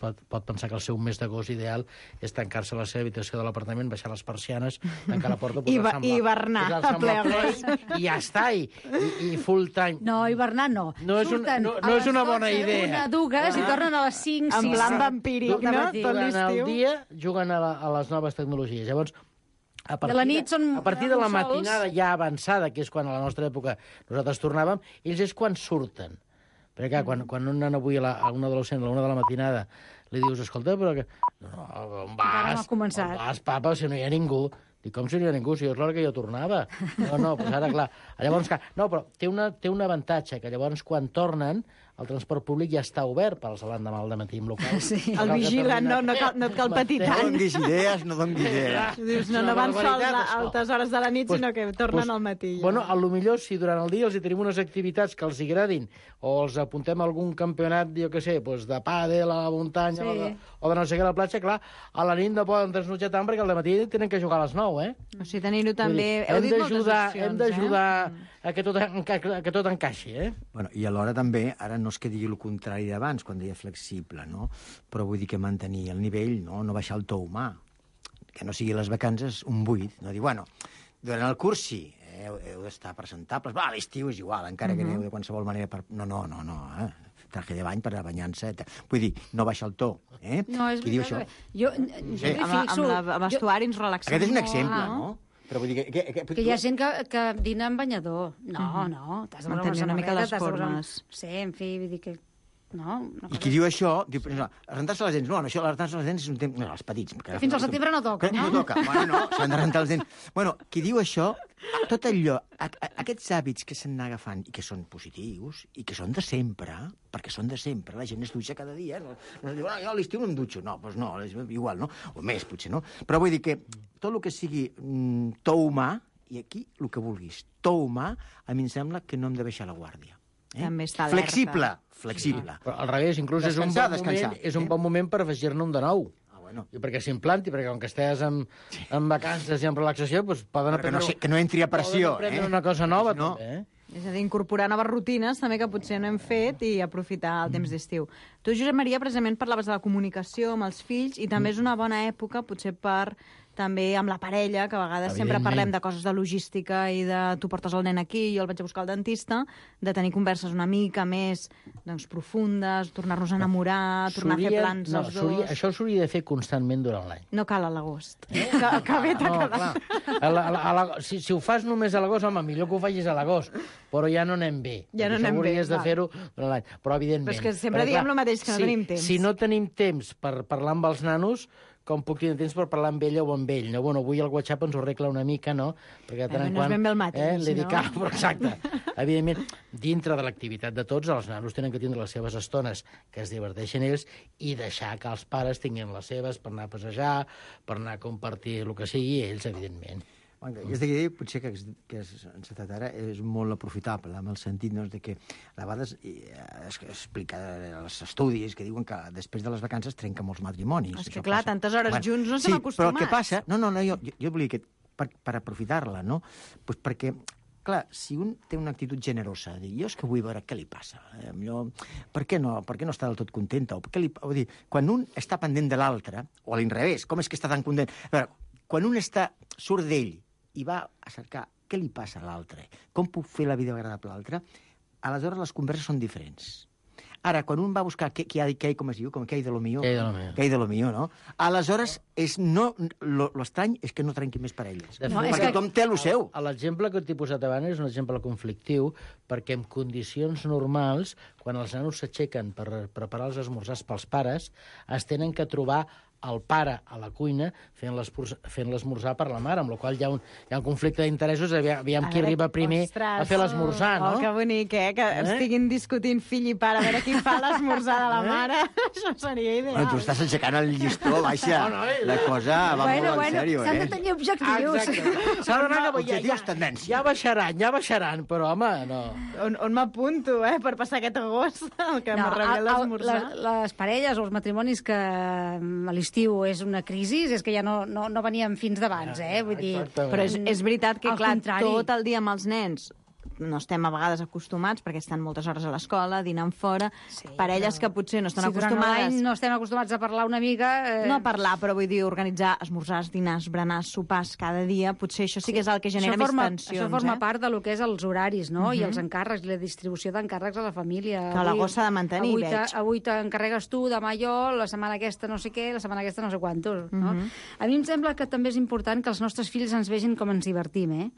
pensar que el seu mes d'agost ideal és tancar-se a la seva habitació de l'apartament, baixar les persianes, tancar la porta, posar-se amb hivernar a ple i ja està, i full time. No, hivernar no. No és una bona idea. Una dugues i tornen a les 5, 6. En plan vampíric, no? Tot l'estiu. Durant el dia juguen a les noves tecnologies. Llavors, a partir de la matinada ja avançada, que és quan a la nostra època nosaltres tornàvem, ells és quan surten. Perquè, clar, quan un nen avui a un adolescent a la 1 de la matinada li dius, escolta, però que... No, on vas? On vas, papa, si no hi ha ningú? Dic, com seria ningú? Si és l'hora que jo tornava. No, doncs ara, clar. Llavors, no, però té un avantatge, que llavors quan tornen el transport públic ja està obert per als l'endemà al matí, amb local. Sí. El vigilen, no et cal patir tant. No donguis idees, no donguis idees. Dius, no van sols a altes hores de la nit, sinó que tornen al matí. Bueno, potser si durant el dia els hi tenim unes activitats que els agradin, o els apuntem a algun campionat, jo què sé, de pàdel a la muntanya, o de no sé què a la platja, clar, a la nit no poden trasnotjar tant perquè al dematí tenen que jugar a les 9, eh? O sigui, tenir-ho també... Hem d'ajudar a que tot encaixi, eh? Bueno, i alhora també, ara no és que digui el contrari d'abans, quan deia flexible, no? Però vull dir que mantenir el nivell, no baixar el to humà, que no sigui les vacances un buit, no dir, bueno, durant el curs sí, heu d'estar presentables, a l'estiu és igual, encara que aneu de qualsevol manera per... No, traje de bany per a banyar-se. Vull dir, no baixa el to. No, és veritat. Jo amb vestuari ens relaxem. Aquest és un exemple, no? Però vull dir que hi ha gent que dina amb banyador. No, t'has de mantenir una mica les formes. Sí, en fi, vull dir que... No, i qui diu això, diu, rentar-se les dents. No, això, rentar-se les dents és un temps... No, els petits. Fins al setembre no toca, no? No toca. Bueno, no, s'han de rentar les dents. Bueno, qui diu això, tot allò, aquests hàbits que s'han anat agafant i que són positius i que són de sempre, perquè són de sempre, la gent es dutxa cada dia, no diu, jo a l'estiu no em dutxo. No, doncs no, igual, no? O més, potser, no? Però vull dir que tot el que sigui to humà, i aquí el que vulguis, to humà, a mi em sembla que no hem de baixar la guàrdia. També està alerta. Flexible. Però al revés, inclús és un bon moment per afegir-ne un de nou. I perquè s'implanti, perquè com que estàs en vacances i en relaxació, doncs poden aprendre... Que no entri a pressió. Poden aprendre una cosa nova, també, És a dir, incorporar noves rutines també que potser no hem fet i aprofitar el temps d'estiu. Tu, Josep Maria, precisament parlaves de la comunicació amb els fills i també és una bona època, potser per també amb la parella, que a vegades sempre parlem de coses de logística i de tu portes el nen aquí, jo el vaig a buscar al dentista, de tenir converses una mica més profundes, tornar-nos a enamorar, tornar a fer plans els dos... Això s'hauria de fer constantment durant l'any. No cal a l'agost. Que bé t'ha quedat. Si ho fas només a l'agost, home, millor que ho facis a l'agost, però ja no anem bé. Ja no anem bé. Hauries de fer-ho durant l'any. Però, evidentment... Però és que sempre diem el mateix, que no tenim temps. Si no tenim temps per parlar amb els nanos, com puc tenir temps per parlar amb ella o amb ell, no? Bueno, avui el WhatsApp ens ho arregla una mica, no? Perquè de tant en quant... No és ben bé el mateix, li dic, però exacte. Evidentment, dintre de l'activitat de tots, els nanos tenen que tindre les seves estones que es diverteixen ells i deixar que els pares tinguin les seves per anar a passejar, per anar a compartir el que sigui, ells, evidentment. És de dir, potser que has encetat ara és molt aprofitable, en el sentit de que a vegades es explica els estudis que diuen que després de les vacances trenca molts matrimonis. És que clar, tantes hores junts no estem acostumats. Però el que passa... No, jo volia que per aprofitar-la, no? Pues perquè, clar, si un té una actitud generosa, dir, jo és que vull veure què li passa, per què no està del tot contenta? Vull dir, quan un està pendent de l'altre, o a l'inrevés, com és que està tan content? A veure, quan un surt d'ell i va a cercar què li passa a l'altre, com puc fer la vida agradable a l'altre, aleshores les converses són diferents. Ara, quan un va a buscar què hi ha, com es diu, què hi ha de lo mío, no? Aleshores, l'estrany és que no trenqui més parelles, perquè tothom té el seu. L'exemple que t'he posat abans és un exemple conflictiu, perquè en condicions normals, quan els nanos s'aixequen per preparar els esmorzars pels pares, es tenen que trobar el pare a la cuina fent l'esmorzar per la mare, amb la qual hi ha un conflicte d'interessos, aviam qui arriba primer a fer l'esmorzar, no? Oh, que bonic, que estiguin discutint fill i pare, a veure qui fa l'esmorzar de la mare. Això seria ideal. Bueno, tu estàs aixecant el llistó, baixa. La cosa va molt en sèrio, s'han de tenir objectius. Exacte. Ja baixaran, però, home, no. On m'apunto, per passar aquest agost, el que m'arregla l'esmorzar? Les parelles o els matrimonis que a l'estiu és una crisi, és que ja no veníem fins d'abans, vull dir... Però és veritat que, clar, tot el dia amb els nens no estem a vegades acostumats, perquè estan moltes hores a l'escola, dinant fora, parelles que potser no estan acostumades... No estem acostumats a parlar una mica... No a parlar, però vull dir, organitzar esmorzars, dinars, berenars, sopars cada dia, potser això sí que és el que genera més tensions. Això forma part del que és els horaris, no? I els encàrrecs, la distribució d'encàrrecs a la família. Que l'agost s'ha de mantenir, veig. Avui t'encarregues tu, demà jo, la setmana aquesta no sé què, la setmana aquesta no sé quantos, no? A mi em sembla que també és important que els nostres fills ens vegin com ens divertim,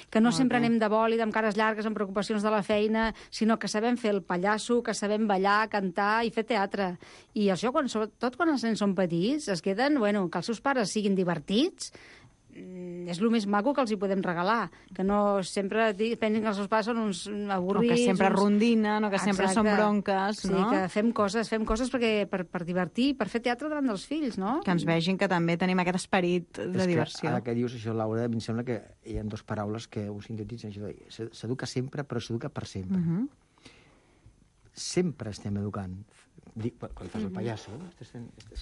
que no sempre anem de bòlid, amb cares llargues, amb preocupacions de la feina, sinó que sabem fer el pallasso, que sabem ballar, cantar i fer teatre. I això, sobretot quan els nens són petits, es queden, que els seus pares siguin divertits, és el més maco que els hi podem regalar, que no sempre pensin que els seus pares són uns avorrits... O que sempre rondinen, o que sempre són bronques, no? Sí, que fem coses per divertir, per fer teatre davant dels fills, no? Que ens vegin que també tenim aquest esperit de diversió. Ara que dius això, Laura, em sembla que hi ha dues paraules que ho sintetitzen. S'educa sempre, però s'educa per sempre. Sempre estem educant. Quan fas el pallasso, estàs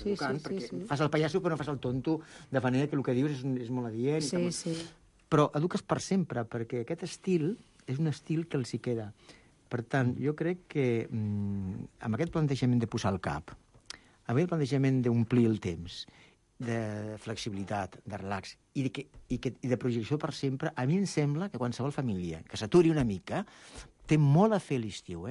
educant, perquè fas el pallasso però no fas el tonto, de manera que el que dius és molt adient. Sí. Però eduques per sempre, perquè aquest estil és un estil que els hi queda. Per tant, jo crec que amb aquest plantejament de posar el cap, amb aquest plantejament d'omplir el temps, de flexibilitat, de relax i de projecció per sempre, a mi em sembla que qualsevol família que s'aturi una mica té molt a fer l'estiu,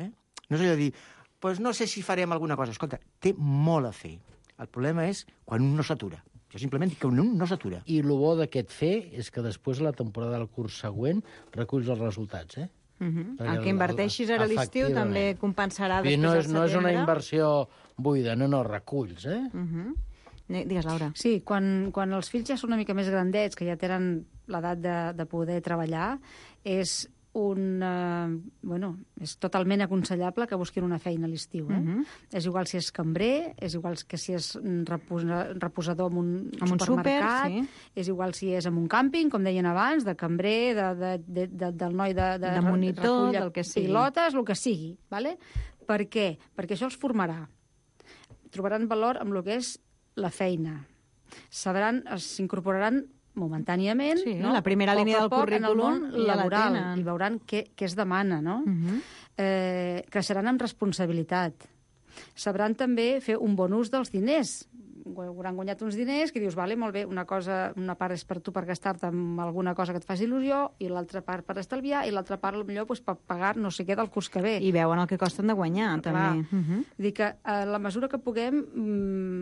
No és allò de dir, pues no sé si farem alguna cosa. Escolta, té molt a fer. El problema és quan un no s'atura. Jo simplement dic que un no s'atura. I el bo d'aquest fer és que després, a la temporada del curs següent, reculls els resultats, El que inverteixis ara a l'estiu també compensarà després al al setembre. No és una inversió buida, no, reculls, Digues, Laura. Sí, quan els fills ja són una mica més grandets, que ja tenen l'edat de poder treballar, és és totalment aconsellable que busquin una feina a l'estiu. És igual si és cambrer, és igual que si és reposador en un supermercat, és igual si és en un càmping, com deien abans, de cambrer, del noi de monitor, del que sigui. Pilotes, el que sigui. Vale? Per què? Perquè això els formarà. Trobaran valor amb el que és la feina. S'incorporaran momentàniament, la primera línia del currículum en el món laboral, i veuran què es demana, no? Creixeran amb responsabilitat. Sabran també fer un bon ús dels diners. Hauran guanyat uns diners que dius, vale, molt bé, una part és per tu per gastar-te en alguna cosa que et faci il·lusió, i l'altra part per estalviar, i l'altra part potser per pagar no sé què del curs que ve. I veuen el que costen de guanyar, també. Dir que a la mesura que puguem,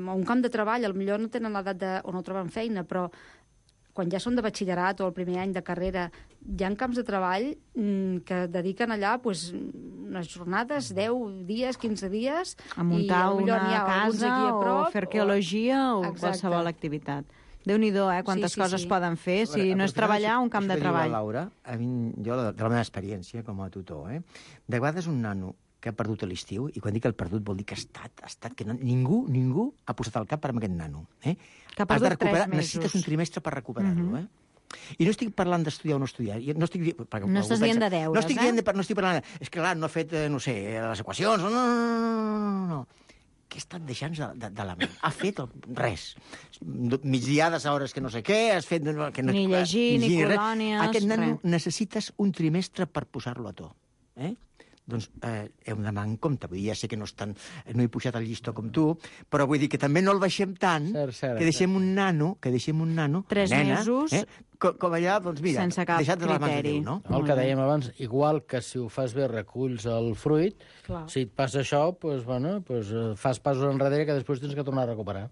a un camp de treball, potser no tenen l'edat o no troben feina, però quan ja són de batxillerat o el primer any de carrera, hi ha camps de treball que dediquen allà unes jornades, 10 dies, 15 dies... A muntar una casa o fer arqueologia o qualsevol activitat. Déu-n'hi-do, quantes coses poden fer si no és treballar un camp de treball. Laura, jo, de la meva experiència com a tutor, de vegades un nano que ha perdut a l'estiu, i quan dic el perdut vol dir que ha estat que ningú ha posat el cap per aquest nano. Que ha perdut 3 mesos. Necessites un trimestre per recuperar-lo, I no estic parlant d'estudiar o no estudiar. No estàs dient de deures, No estic parlant... És que, clar, no he fet, no sé, les equacions... No. Què ha estat deixant de la ment? Ha fet res. Migdiades a hores que no sé què, has fet... Ni llegir, ni colònies... Aquest nano necessites un trimestre per posar-lo a to. Doncs hem d'anar en compte. Vull dir, ja sé que no he pujat el llistó com tu, però vull dir que també no el baixem tant, que deixem un nano, 3 mesos, com allà, doncs mira, sense cap criteri. No? El que dèiem abans, igual que si ho fas bé reculls el fruit, si et passa això, fas passos enrere que després tens que tornar a recuperar.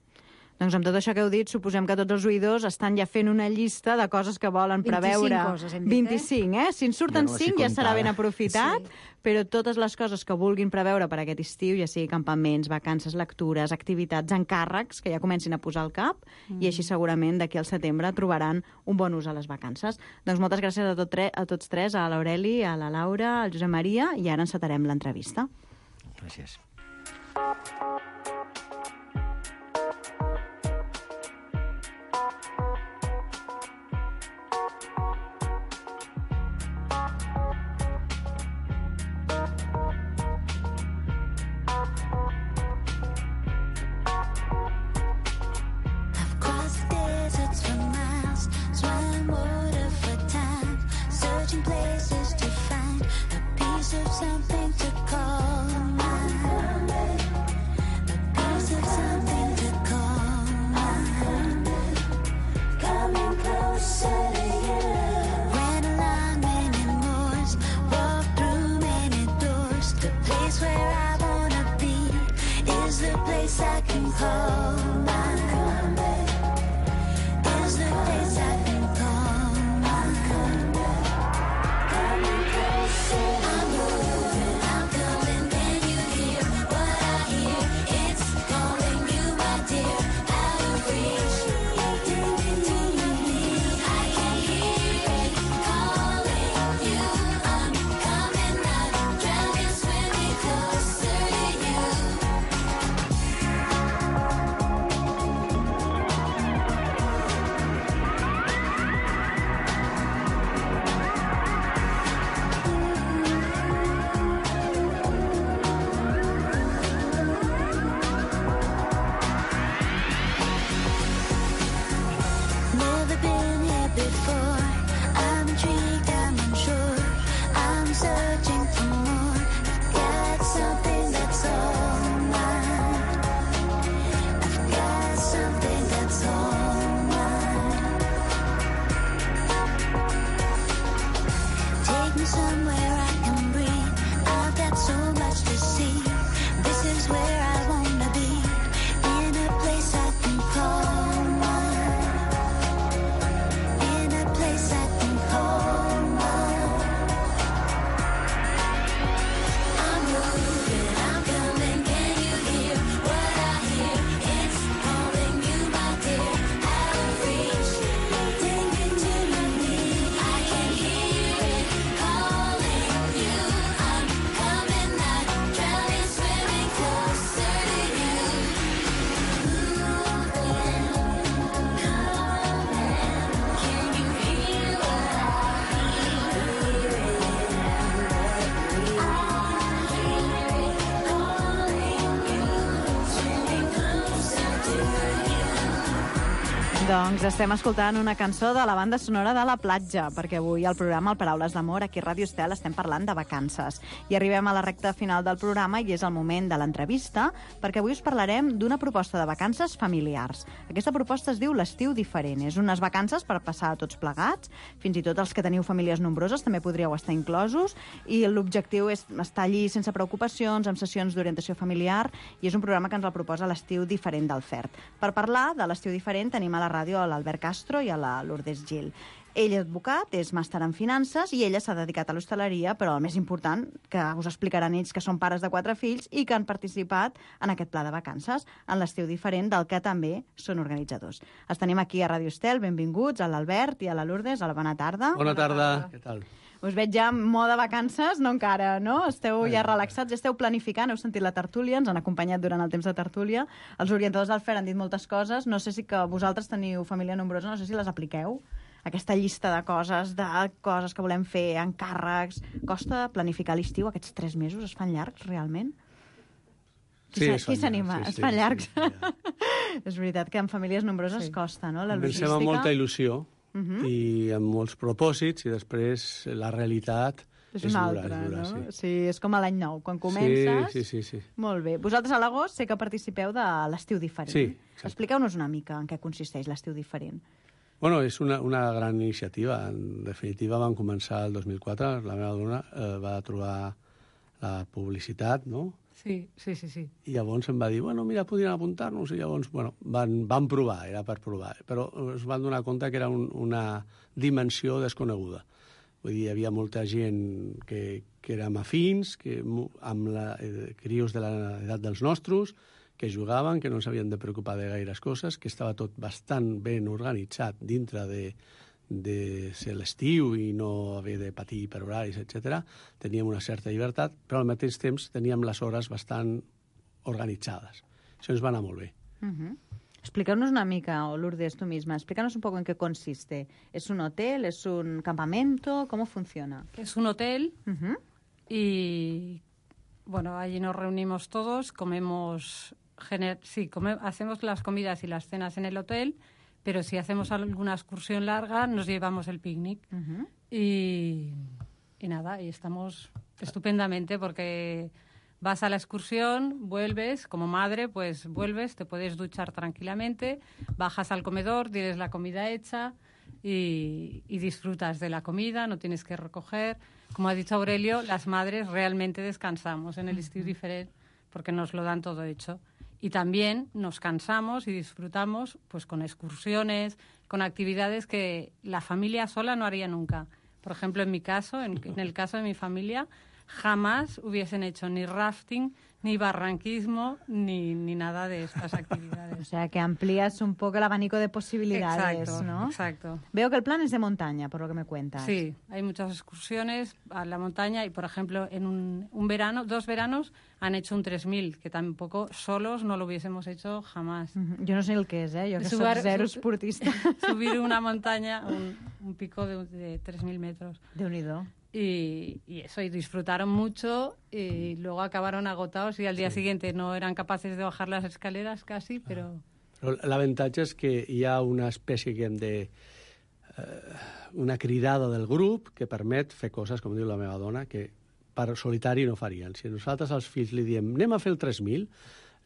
Doncs amb tot això que heu dit, suposem que tots els oïdors estan ja fent una llista de coses que volen preveure. 25 coses, hem dit, 25, Si en surten 5 ja serà ben aprofitat, però totes les coses que vulguin preveure per aquest estiu, ja sigui campaments, vacances, lectures, activitats, encàrrecs, que ja comencin a posar al cap, i així segurament d'aquí al setembre trobaran un bon ús a les vacances. Doncs moltes gràcies a tots tres, a l'Aureli, a la Laura, al Josep Maria, i ara encetarem l'entrevista. Gràcies. Something to call mine. somewhere I can breathe. I've got so much to see. This is where I wanna be, in a place I can call mine, in a place I can call mine. I'm moving, I'm coming, can you hear what I hear? It's calling you, my dear, out of reach, take me to my knees. I can hear it calling you. I'm coming, not drowning, swimming closer to you. Moving, coming, can you hear what I Doncs estem escoltant una cançó de la banda sonora de La Platja, perquè avui al programa El Paraules d'Amor, aquí a Ràdio Estel, estem parlant de vacances. I arribem a la recta final del programa i és el moment de l'entrevista, perquè avui us parlarem d'una proposta de vacances familiars. Aquesta proposta es diu l'Estiu Diferent. És unes vacances per passar tots plegats, fins i tot els que teniu famílies nombroses també podríeu estar inclosos, i l'objectiu és estar allí sense preocupacions, amb sessions d'orientació familiar, i és un programa que ens el proposa l'Estiu Diferent del FERT. Per parlar de l'Estiu Diferent tenim a la ràdio a l'Albert Castro i a la Lourdes Gil. Ell és advocat, és màster en finances i ella s'ha dedicat a l'hostaleria, però el més important, que us explicaran ells, que són pares de 4 fills i que han participat en aquest pla de vacances, en l'Estiu Diferent, del que també són organitzadors. Els tenim aquí a Ràdio Estel, benvinguts a l'Albert i a la Lourdes. Hola, bona tarda. Bona tarda. Què tal? Us veig ja en mode vacances, no encara, no? Esteu ja relaxats, esteu planificant, heu sentit la tertúlia, ens han acompanyat durant el temps de tertúlia. Els orientadors del FER han dit moltes coses, no sé si que vosaltres teniu família nombrosa, no sé si les apliqueu, aquesta llista de coses que volem fer, encàrrecs. Costa planificar l'estiu, aquests 3 mesos es fan llargs, realment? Sí, qui s'anima? Es fan llargs. És veritat que en famílies nombroses costa, no? La logística. Pensem amb molta il·lusió i amb molts propòsits, i després la realitat és una altra, dura, no? sí. Sí, és com a l'any nou, quan comences... Sí. Molt bé. Vosaltres a l'agost sé que participeu de l'Estiu Diferent. Sí, exacte. Expliqueu-nos una mica en què consisteix l'Estiu Diferent. Bueno, és una gran iniciativa. En definitiva, vam començar el 2004. La meva dona va trobar la publicitat, no? Sí. I llavors em va dir, bueno, mira, podríem apuntar-nos. I llavors, bueno, van provar, era per provar. Però es van donar compte que era una dimensió desconeguda. Vull dir, hi havia molta gent que érem afins, amb crios de l'edat dels nostres, que jugaven, que no s'havien de preocupar de gaires coses, que estava tot bastant ben organitzat dintre de ser l'estiu i no haver de patir per horaris, etc. Teníem una certa llibertat, però al mateix temps teníem les hores bastant organitzades. Això ens va anar molt bé. Expliqueu-nos una mica, o Lourdes, tú misma, explícanos un poco en qué consiste. ¿Es un hotel? ¿Es un campamento? ¿Cómo funciona? Es un hotel y, bueno, allí nos reunimos todos, hacemos las comidas y las cenas en el hotel, pero si hacemos alguna excursión larga nos llevamos el picnic. Y nada, y estamos estupendamente porque vas a la excursión, vuelves, como madre, pues vuelves, te puedes duchar tranquilamente, bajas al comedor, tienes la comida hecha y disfrutas de la comida, no tienes que recoger. Como ha dicho Aurelio, las madres realmente descansamos en el Estiu Diferent porque nos lo dan todo hecho. Y también nos cansamos y disfrutamos pues con excursiones, con actividades que la familia sola no haría nunca. Por ejemplo, en mi caso, en el caso de mi familia, jamás hubiesen hecho ni rafting, ni barranquismo, ni nada de estas actividades. O sea, que amplías un poco el abanico de posibilidades, exacto, ¿no? Exacto. Veo que el plan es de montaña, por lo que me cuentas. Sí, hay muchas excursiones a la montaña y, por ejemplo, en un verano, 2 veranos, han hecho un 3000, que tampoco solos no lo hubiésemos hecho jamás. Yo no sé el que es, yo que soy cero esportista. Subir una montaña, un pico de 3000 metros. Déu-n'hi-do. Y eso, y disfrutaron mucho y luego acabaron agotados y al día siguiente no eran capaces de bajar las escaleras casi, pero... Però l'avantatge és que hi ha una espècie una cridada del grup que permet fer coses, com diu la meva dona, que per solitari no farien. Si nosaltres als fills li diem anem a fer el 3000,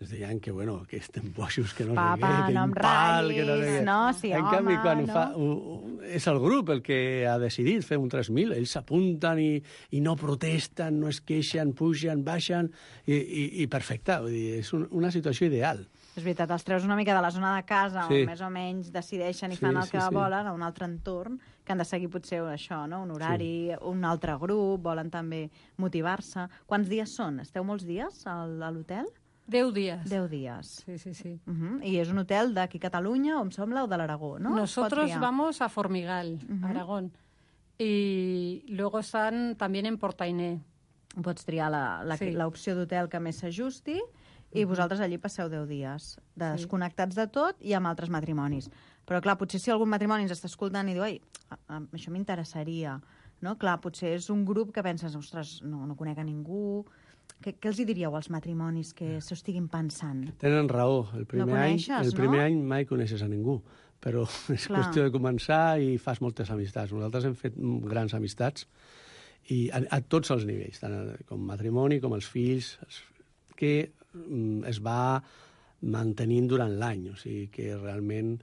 ens deien que, bueno, que estem boixos, que no Papa, sé què, que no em impal, que no sé ratllis, què. no? Sí, en home, canvi, quan no? és el grup el que ha decidit fer un 3.000, ells s'apunten i no protesten, no es queixen, pugen, baixen, i perfecte. Vull dir, és una situació ideal. És veritat, els treus una mica de la zona de casa, Sí. on més o menys decideixen i Sí, fan el sí, que sí. volen, a un altre entorn, que han de seguir potser això, no? Un horari, un altre grup, volen també motivar-se. Quants dies són? Esteu molts dies a l'hotel? 10 días. 10 dies. Sí, sí, sí. I és un hotel d'aquí a Catalunya, o em sembla, o de l'Aragó, no? Nosotros vamos a Formigal, Aragón. Y luego están también en Portainé. Pots triar Sí. l'opció d'hotel que més s'ajusti i vosaltres allí passeu 10 dies, desconnectats de tot i amb altres matrimonis. Però, clar, potser si algun matrimoni ens està escoltant i diu, ai, això m'interessaria, no? Clar, potser és un grup que penses, ostres, no conec a ningú. Què els hi diríeu als matrimonis que s'ho estiguin pensant? Tenen raó. El primer coneixes, any mai coneixes a ningú, però és Clar. qüestió de començar i fas moltes amistats. Nosaltres hem fet grans amistats i a tots els nivells, tant com matrimoni com els fills, que es va mantenint durant l'any. O sigui que realment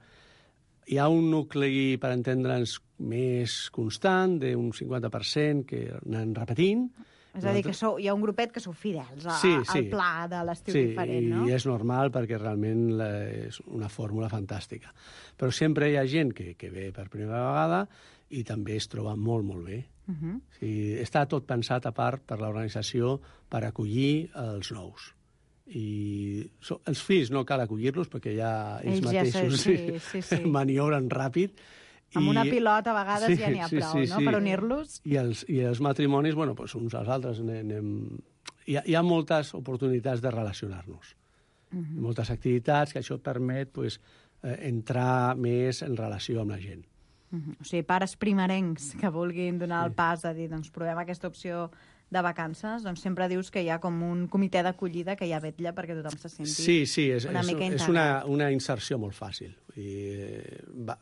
hi ha un nucli, per entendre'ns, més constant, d'un 50%, que anem repetint. És a dir, que hi ha un grupet que sou fidels al pla de l'estiu diferent, no? Sí, i és normal perquè realment és una fórmula fantàstica. Però sempre hi ha gent que ve per primera vegada i també es troba molt, molt bé. O sigui, està tot pensat a part per l'organització per acollir els nous. I els fills no cal acollir-los perquè ja ells mateixos maniobren ràpid. Amb una pilota a vegades ja n'hi ha prou, no?, per unir-los. I els matrimonis, bueno, doncs uns als altres hi ha moltes oportunitats de relacionar-nos. Moltes activitats que això permet entrar més en relació amb la gent. O sigui, pares primerencs que vulguin donar el pas a dir, doncs provem aquesta opció de vacances, doncs sempre dius que hi ha com un comitè d'acollida que ja vetlla perquè tothom se senti una mica integrat. És una inserció molt fàcil.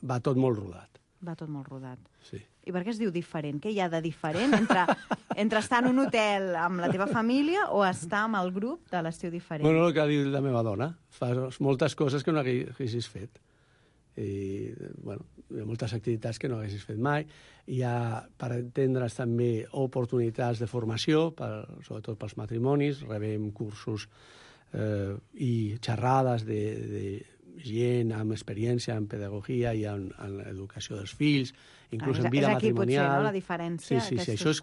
Va tot molt rodat. Va tot molt rodat. Sí. I per què es diu diferent? Què hi ha de diferent entre estar en un hotel amb la teva família o estar amb el grup de l'estiu diferent? Bueno, el que ha dit la meva dona. Fas moltes coses que no haguessis fet. I, bueno, hi ha moltes activitats que no haguessis fet mai. Hi ha, per entendre's, també oportunitats de formació, sobretot pels matrimonis. Rebem cursos i xerrades de gent amb experiència en pedagogia i en l'educació dels fills, inclús en vida matrimonial. És aquí potser, no?, la diferència. Sí, això és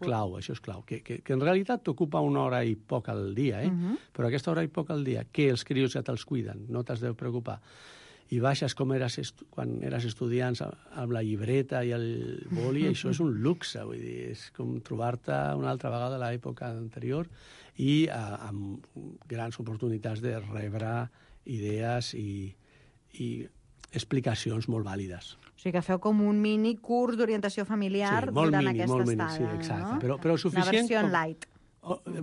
clau, que en realitat t'ocupa una hora i poc al dia, però aquesta hora i poc al dia, que els crios ja te'ls cuiden, no t'has de preocupar. I baixes com quan eres estudiants amb la llibreta i el boli, això és un luxe, vull dir, és com trobar-te una altra vegada a l'època anterior i amb grans oportunitats de rebre idees i explicacions molt vàlides. O sigui que feu com un mini curs d'orientació familiar durant aquesta estada. Sí, exacte. Però suficient... Una versió light.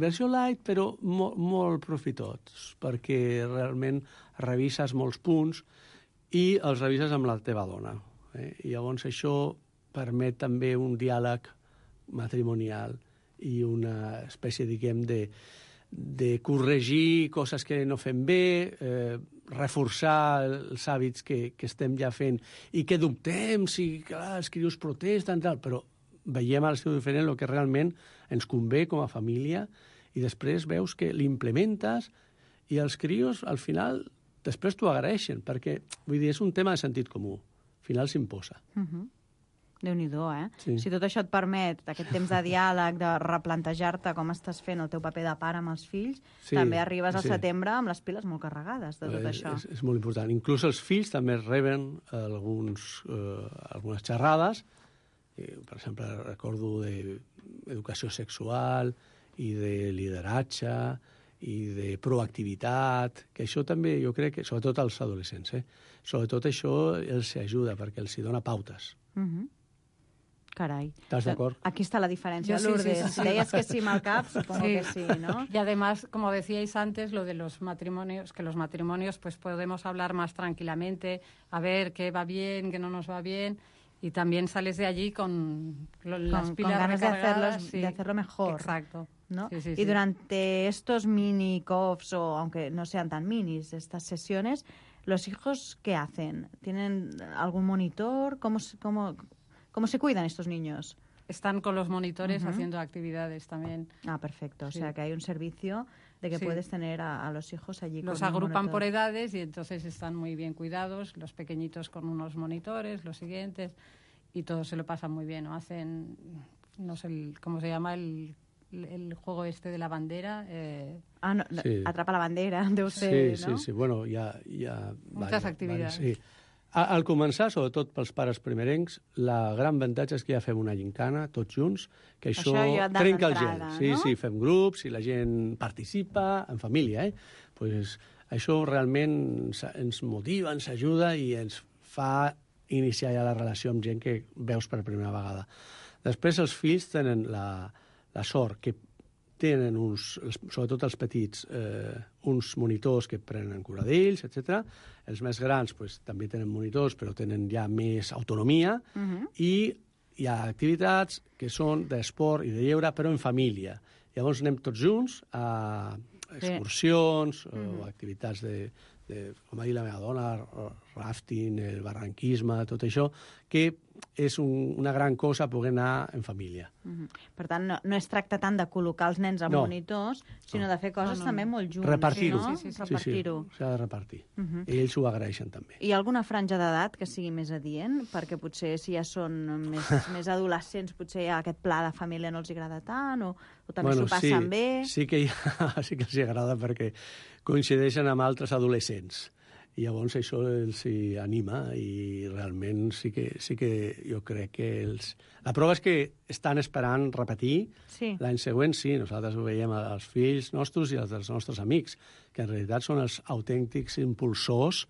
Versió light, però molt profitós, perquè realment revises molts punts i els revises amb la teva dona. I llavors això permet també un diàleg matrimonial i una espècie, diguem, de corregir coses que no fem bé, reforçar els hàbits que estem ja fent i que dubtem si els crios protesten, però veiem al seu diferent el que realment ens convé com a família i després veus que l'implementes i els crios al final després t'ho agraeixen perquè, vull dir, és un tema de sentit comú. Al final s'imposa. Déu-n'hi-do, Sí. Si tot això et permet, aquest temps de diàleg, de replantejar-te com estàs fent el teu paper de pare amb els fills, també arribes al setembre amb les piles molt carregades de tot això. És molt important. Inclús els fills també reben algunes xerrades. Per exemple, recordo d'educació sexual i de lideratge i de proactivitat, que això també jo crec que, sobretot als adolescents, sobretot això els ajuda perquè els dona pautes. Carai. ¿Estás de acuerdo? Aquí está la diferencia, Sí, Lourdes. sí. Deies que sí mal cap, supongo que sí, ¿no? Y además, como decíais antes, lo de los matrimonios, que los matrimonios pues podemos hablar más tranquilamente, a ver qué va bien, qué no nos va bien, y también sales de allí con las con pilas ganas de recargadas. Sí. de hacerlo mejor. Exacto. ¿No? Sí, sí, y sí. durante estos mini COFs, o aunque no sean tan minis, estas sesiones, ¿los hijos qué hacen? ¿Tienen algún monitor? ¿Cómo se cuidan estos niños? Están con los monitores haciendo actividades también. Ah, perfecto. O Sí. sea, que hay un servicio de que Sí. puedes tener a los hijos allí. Los con un agrupan por monitor. edades y entonces están muy bien cuidados, los pequeñitos con unos monitores, los siguientes, y todos se lo pasan muy bien, ¿no? Hacen, no sé cómo se llama el juego este de la bandera. Sí. Atrapa la bandera, deu ser, Sí, no? sí, sí. Bueno, hi ha Moltes activitats. Sí. Al començar, sobretot pels pares primerencs, la gran avantatge és que ja fem una gincana, tots junts, que això ja trenca el gel. d'entrada, Sí, no? sí, fem grups i la gent participa, en família, Pues això realment ens motiva, ens ajuda i ens fa iniciar ja la relació amb gent que veus per primera vegada. Després els fills tenen la sort que tenen sobretot els petits, uns monitors que prenen cura d'ells, etc. Els més grans pues, també tenen monitors, però tenen ja més autonomia, i hi ha activitats que són d'esport i de lleure, però en família. Llavors anem tots junts a excursions o activitats com va dir la meva dona, rafting, el barranquisme, tot això, que és una gran cosa poder anar en família. Per tant, no es tracta tant de col·locar els nens amb No. monitors, sinó de fer coses també molt junts. Repartir-ho. No? Sí, Repartir-ho. s'ha de repartir. I ells ho agraeixen també. Hi ha alguna franja d'edat que sigui més adient? Perquè potser si ja són més adolescents, potser ja aquest pla de família no els agrada tant, o també s'ho passen bé. Sí que els agrada perquè coincideixen amb altres adolescents. I llavors això els hi anima i realment sí que jo crec que La prova és que estan esperant repetir. Sí. L'any següent sí, nosaltres ho veiem als fills nostres i als dels nostres amics, que en realitat són els autèntics impulsors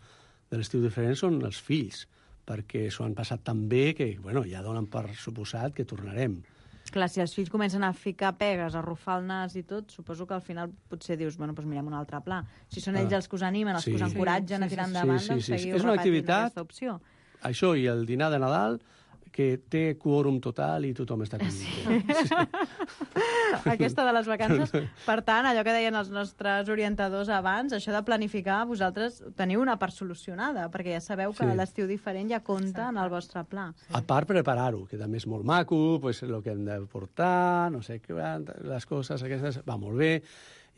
de l'estiu diferent, són els fills, perquè s'ho han passat tan bé que ja donen per suposat que tornarem. Clar, si els fills comencen a ficar pegues, a arrufar el nas i tot, suposo que al final potser dius, pues mirem un altre pla. Si són ells els que us animen, els que us encoratgen a tirar endavant, doncs seguiu repetint aquesta opció. Això i el dinar de Nadal, que té quòrum total i tothom està content. Aquesta de les vacances. Per tant, allò que deien els nostres orientadors abans, això de planificar, vosaltres teniu una part solucionada, perquè ja sabeu que l'estiu diferent ja compta en el vostre pla. A part, preparar-ho, que també és molt maco, pues, el que hem de portar, no sé què, les coses aquestes, va molt bé,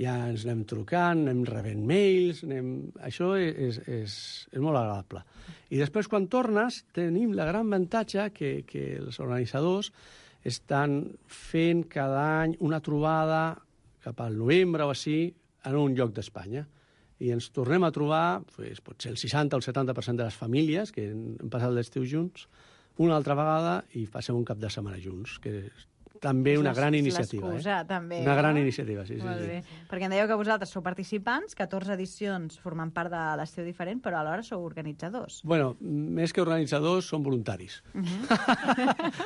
ja ens anem trucant, anem rebent mails, això és molt agradable. I després, quan tornes, tenim la gran avantatge que els organitzadors estan fent cada any una trobada cap al novembre o així en un lloc d'Espanya. I ens tornem a trobar, potser el 60 o el 70% de les famílies que han passat l'estiu junts, una altra vegada i passem un cap de setmana junts, que també una gran iniciativa. L'excusa, també. Una gran iniciativa, sí. Molt bé. Perquè em dèieu que vosaltres sou participants, 14 edicions formant part de l'estiu diferent, però alhora sou organitzadors. Bueno, més que organitzadors, són voluntaris.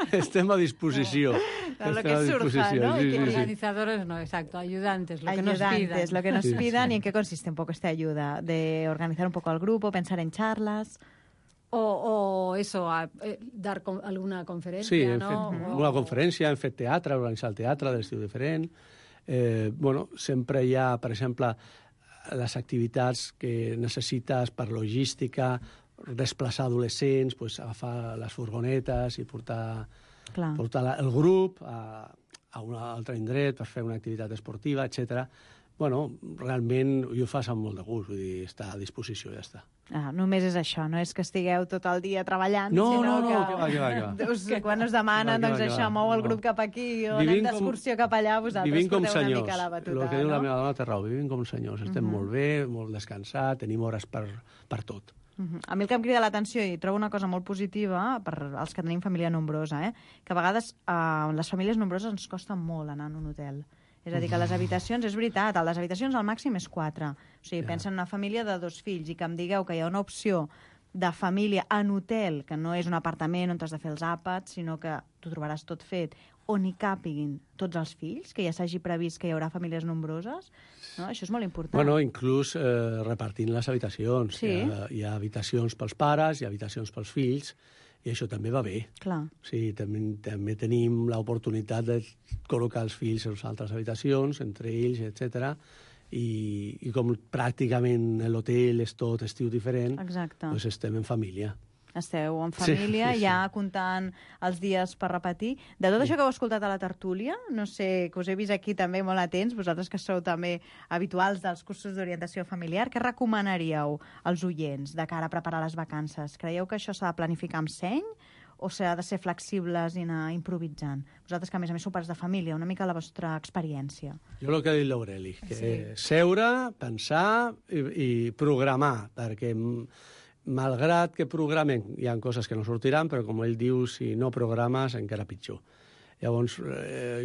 Estem a disposició. Lo que surja, ¿no? Organizadores no, exacto, ayudantes, lo que nos pidan. Ayudantes, lo que nos pidan. ¿Y en qué consiste un poco esta ayuda? ¿De organizar un poco al grupo, pensar en charlas? O eso, dar alguna conferència, sí, hem no? fet una conferència, hem fet teatre, organitzar el teatre de l'estiu diferent. Sempre hi ha, per exemple, les activitats que necessites per logística, desplaçar adolescents, pues, agafar les furgonetes i portar el grup a un altre indret per fer una activitat esportiva, etc. Realment ho fas amb molt de gust, vull dir, està a disposició, ja està. Només és això, no és que estigueu tot el dia treballant, sinó que quan us demanen, doncs això, mou el grup cap aquí o anem d'excursió cap allà, vosaltres porteu una mica la batuta. El que diu la meva dona té raó, vivim com senyors, estem molt bé, molt descansats, tenim hores per tot. A mi el que em crida l'atenció, i trobo una cosa molt positiva per als que tenim família nombrosa, que a vegades les famílies nombroses ens costa molt anar en un hotel. És a dir, que les habitacions, és veritat, les habitacions al màxim és 4. O sigui, pensa en una família de 2 fills i que em digueu que hi ha una opció de família en hotel, que no és un apartament on has de fer els àpats, sinó que t'ho trobaràs tot fet, on hi càpiguin tots els fills, que ja s'hagi previst que hi haurà famílies nombroses, no? Això és molt important. Bueno, inclús repartint les habitacions. Sí. Hi ha habitacions pels pares, hi ha habitacions pels fills, I això també va bé. Clar. Sí, també tenim l'oportunitat de col·locar els fills en altres habitacions, entre ells, etc. I com pràcticament l'hotel és tot estiu diferent, Exacte. doncs estem en família. Esteu en família, Sí. ja comptant els dies per repetir. De tot això que heu escoltat a la tertúlia, no sé, que us he vist aquí també molt atents, vosaltres que sou també habituals dels cursos d'orientació familiar, què recomanaríeu als oients de cara a preparar les vacances? Creieu que això s'ha de planificar amb seny o s'ha de ser flexibles i anar improvisant? Vosaltres que, a més sou pares de família, una mica la vostra experiència. Jo el que ha dit l'Aureli, que Sí. seure, pensar i programar, perquè malgrat que programen, hi ha coses que no sortiran, però com ell diu, si no programes, encara pitjor. Llavors,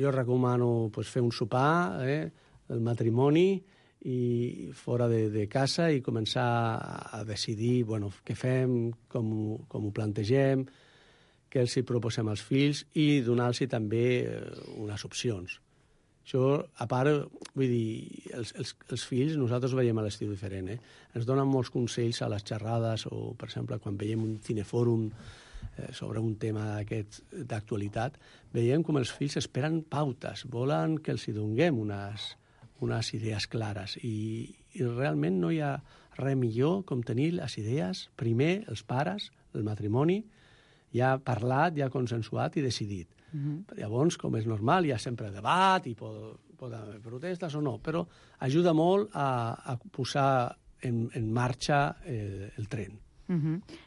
jo recomano fer un sopar, el matrimoni, i fora de casa i començar a decidir què fem, com ho plantegem, què els hi proposem als fills i donar-los també unes opcions. Això, a part, vull dir, els fills, nosaltres ho veiem a l'estiu diferent, ens donen molts consells a les xerrades o, per exemple, quan veiem un cinefòrum sobre un tema aquest d'actualitat, veiem com els fills esperen pautes, volen que els hi donem unes idees clares i realment no hi ha res millor com tenir les idees, primer, els pares, el matrimoni, ja parlat, ja consensuat i decidit. Llavors, com és normal, hi ha sempre debat i poden haver protestes o no, però ajuda molt a posar en marxa el tren.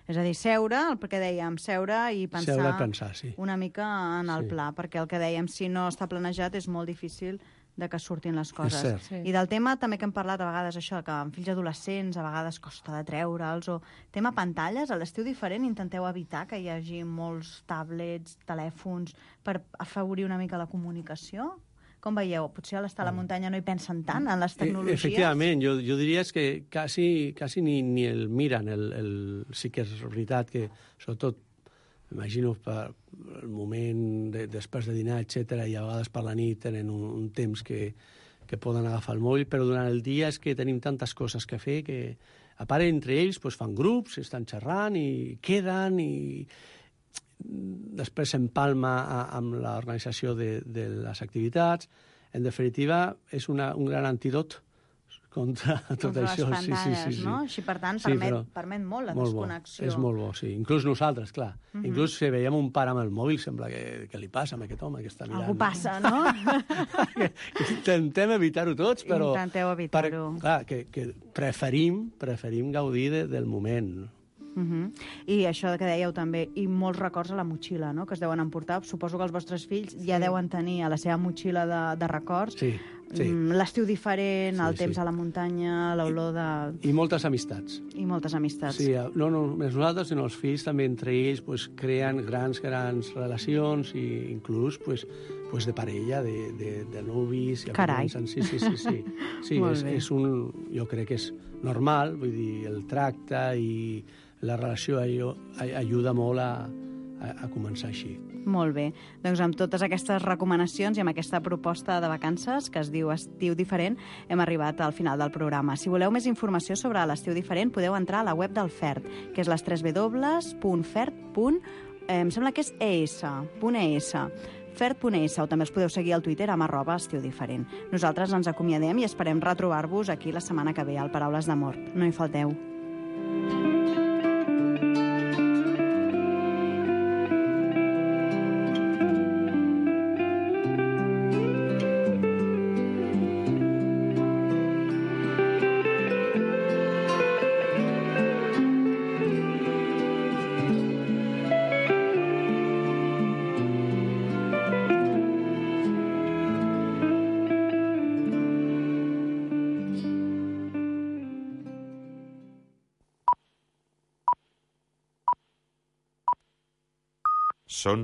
És a dir, seure, el que dèiem, seure i pensar, sí. una mica en el Sí. pla, perquè el que dèiem, si no està planejat, és molt difícil de que surtin les coses. cert. Sí. I del tema també que hem parlat a vegades, això, que amb fills adolescents a vegades costa de treure'ls, o tema pantalles, a l'estiu diferent intenteu evitar que hi hagi molts tablets, telèfons, per afavorir una mica la comunicació? Com veieu? Potser a l'estar a la muntanya no hi pensen tant en les tecnologies? Efectivament, jo diria que quasi ni el miren. Sí que és veritat que, sobretot, imagino per el moment després de dinar, etc., i a vegades per la nit tenen un temps que poden agafar el mòbil, però durant el dia és que tenim tantes coses que fer que, a part, entre ells fan grups, estan xerrant i queden i després s'empalma amb l'organització de les activitats. En definitiva, és un gran antídot contra tot això. Les pantalles, sí. no? Així, per tant, Sí, permet molt la molt desconnexió. Bo. És molt bo, sí. Inclús nosaltres, clar. Inclús si veiem un pare amb el mòbil, sembla que li passa a aquest home que està mirant. Algú passa, no? Intentem evitar-ho tots, però... Intenteu evitar-ho. Clar, que preferim gaudir del moment. I això que dèieu també, i molts records a la motxilla, no?, que es deuen emportar. Suposo que els vostres fills ja deuen tenir a la seva motxilla de records. Sí. L'estiu diferent, el Sí, temps sí. a la muntanya, l'olor de... I moltes amistats. I moltes amistats. Sí, no només nosaltres, sinó els fills també entre ells creen grans relacions i inclús de parella, de nubis. Carai. Sí. Sí, Molt bé. jo crec que és normal, vull dir, el tracte i la relació ajuda molt a començar així. Molt bé. Doncs amb totes aquestes recomanacions i amb aquesta proposta de vacances que es diu Estiu Diferent, hem arribat al final del programa. Si voleu més informació sobre l'Estiu Diferent, podeu entrar a la web del FERT, que és les www.fert. Em sembla que és ES.ES. Fert.es, o també els podeu seguir al Twitter amb @estiudiferent. Nosaltres ens acomiadem i esperem retrobar-vos aquí la setmana que ve al Paraules d'Amor. No hi falteu. Són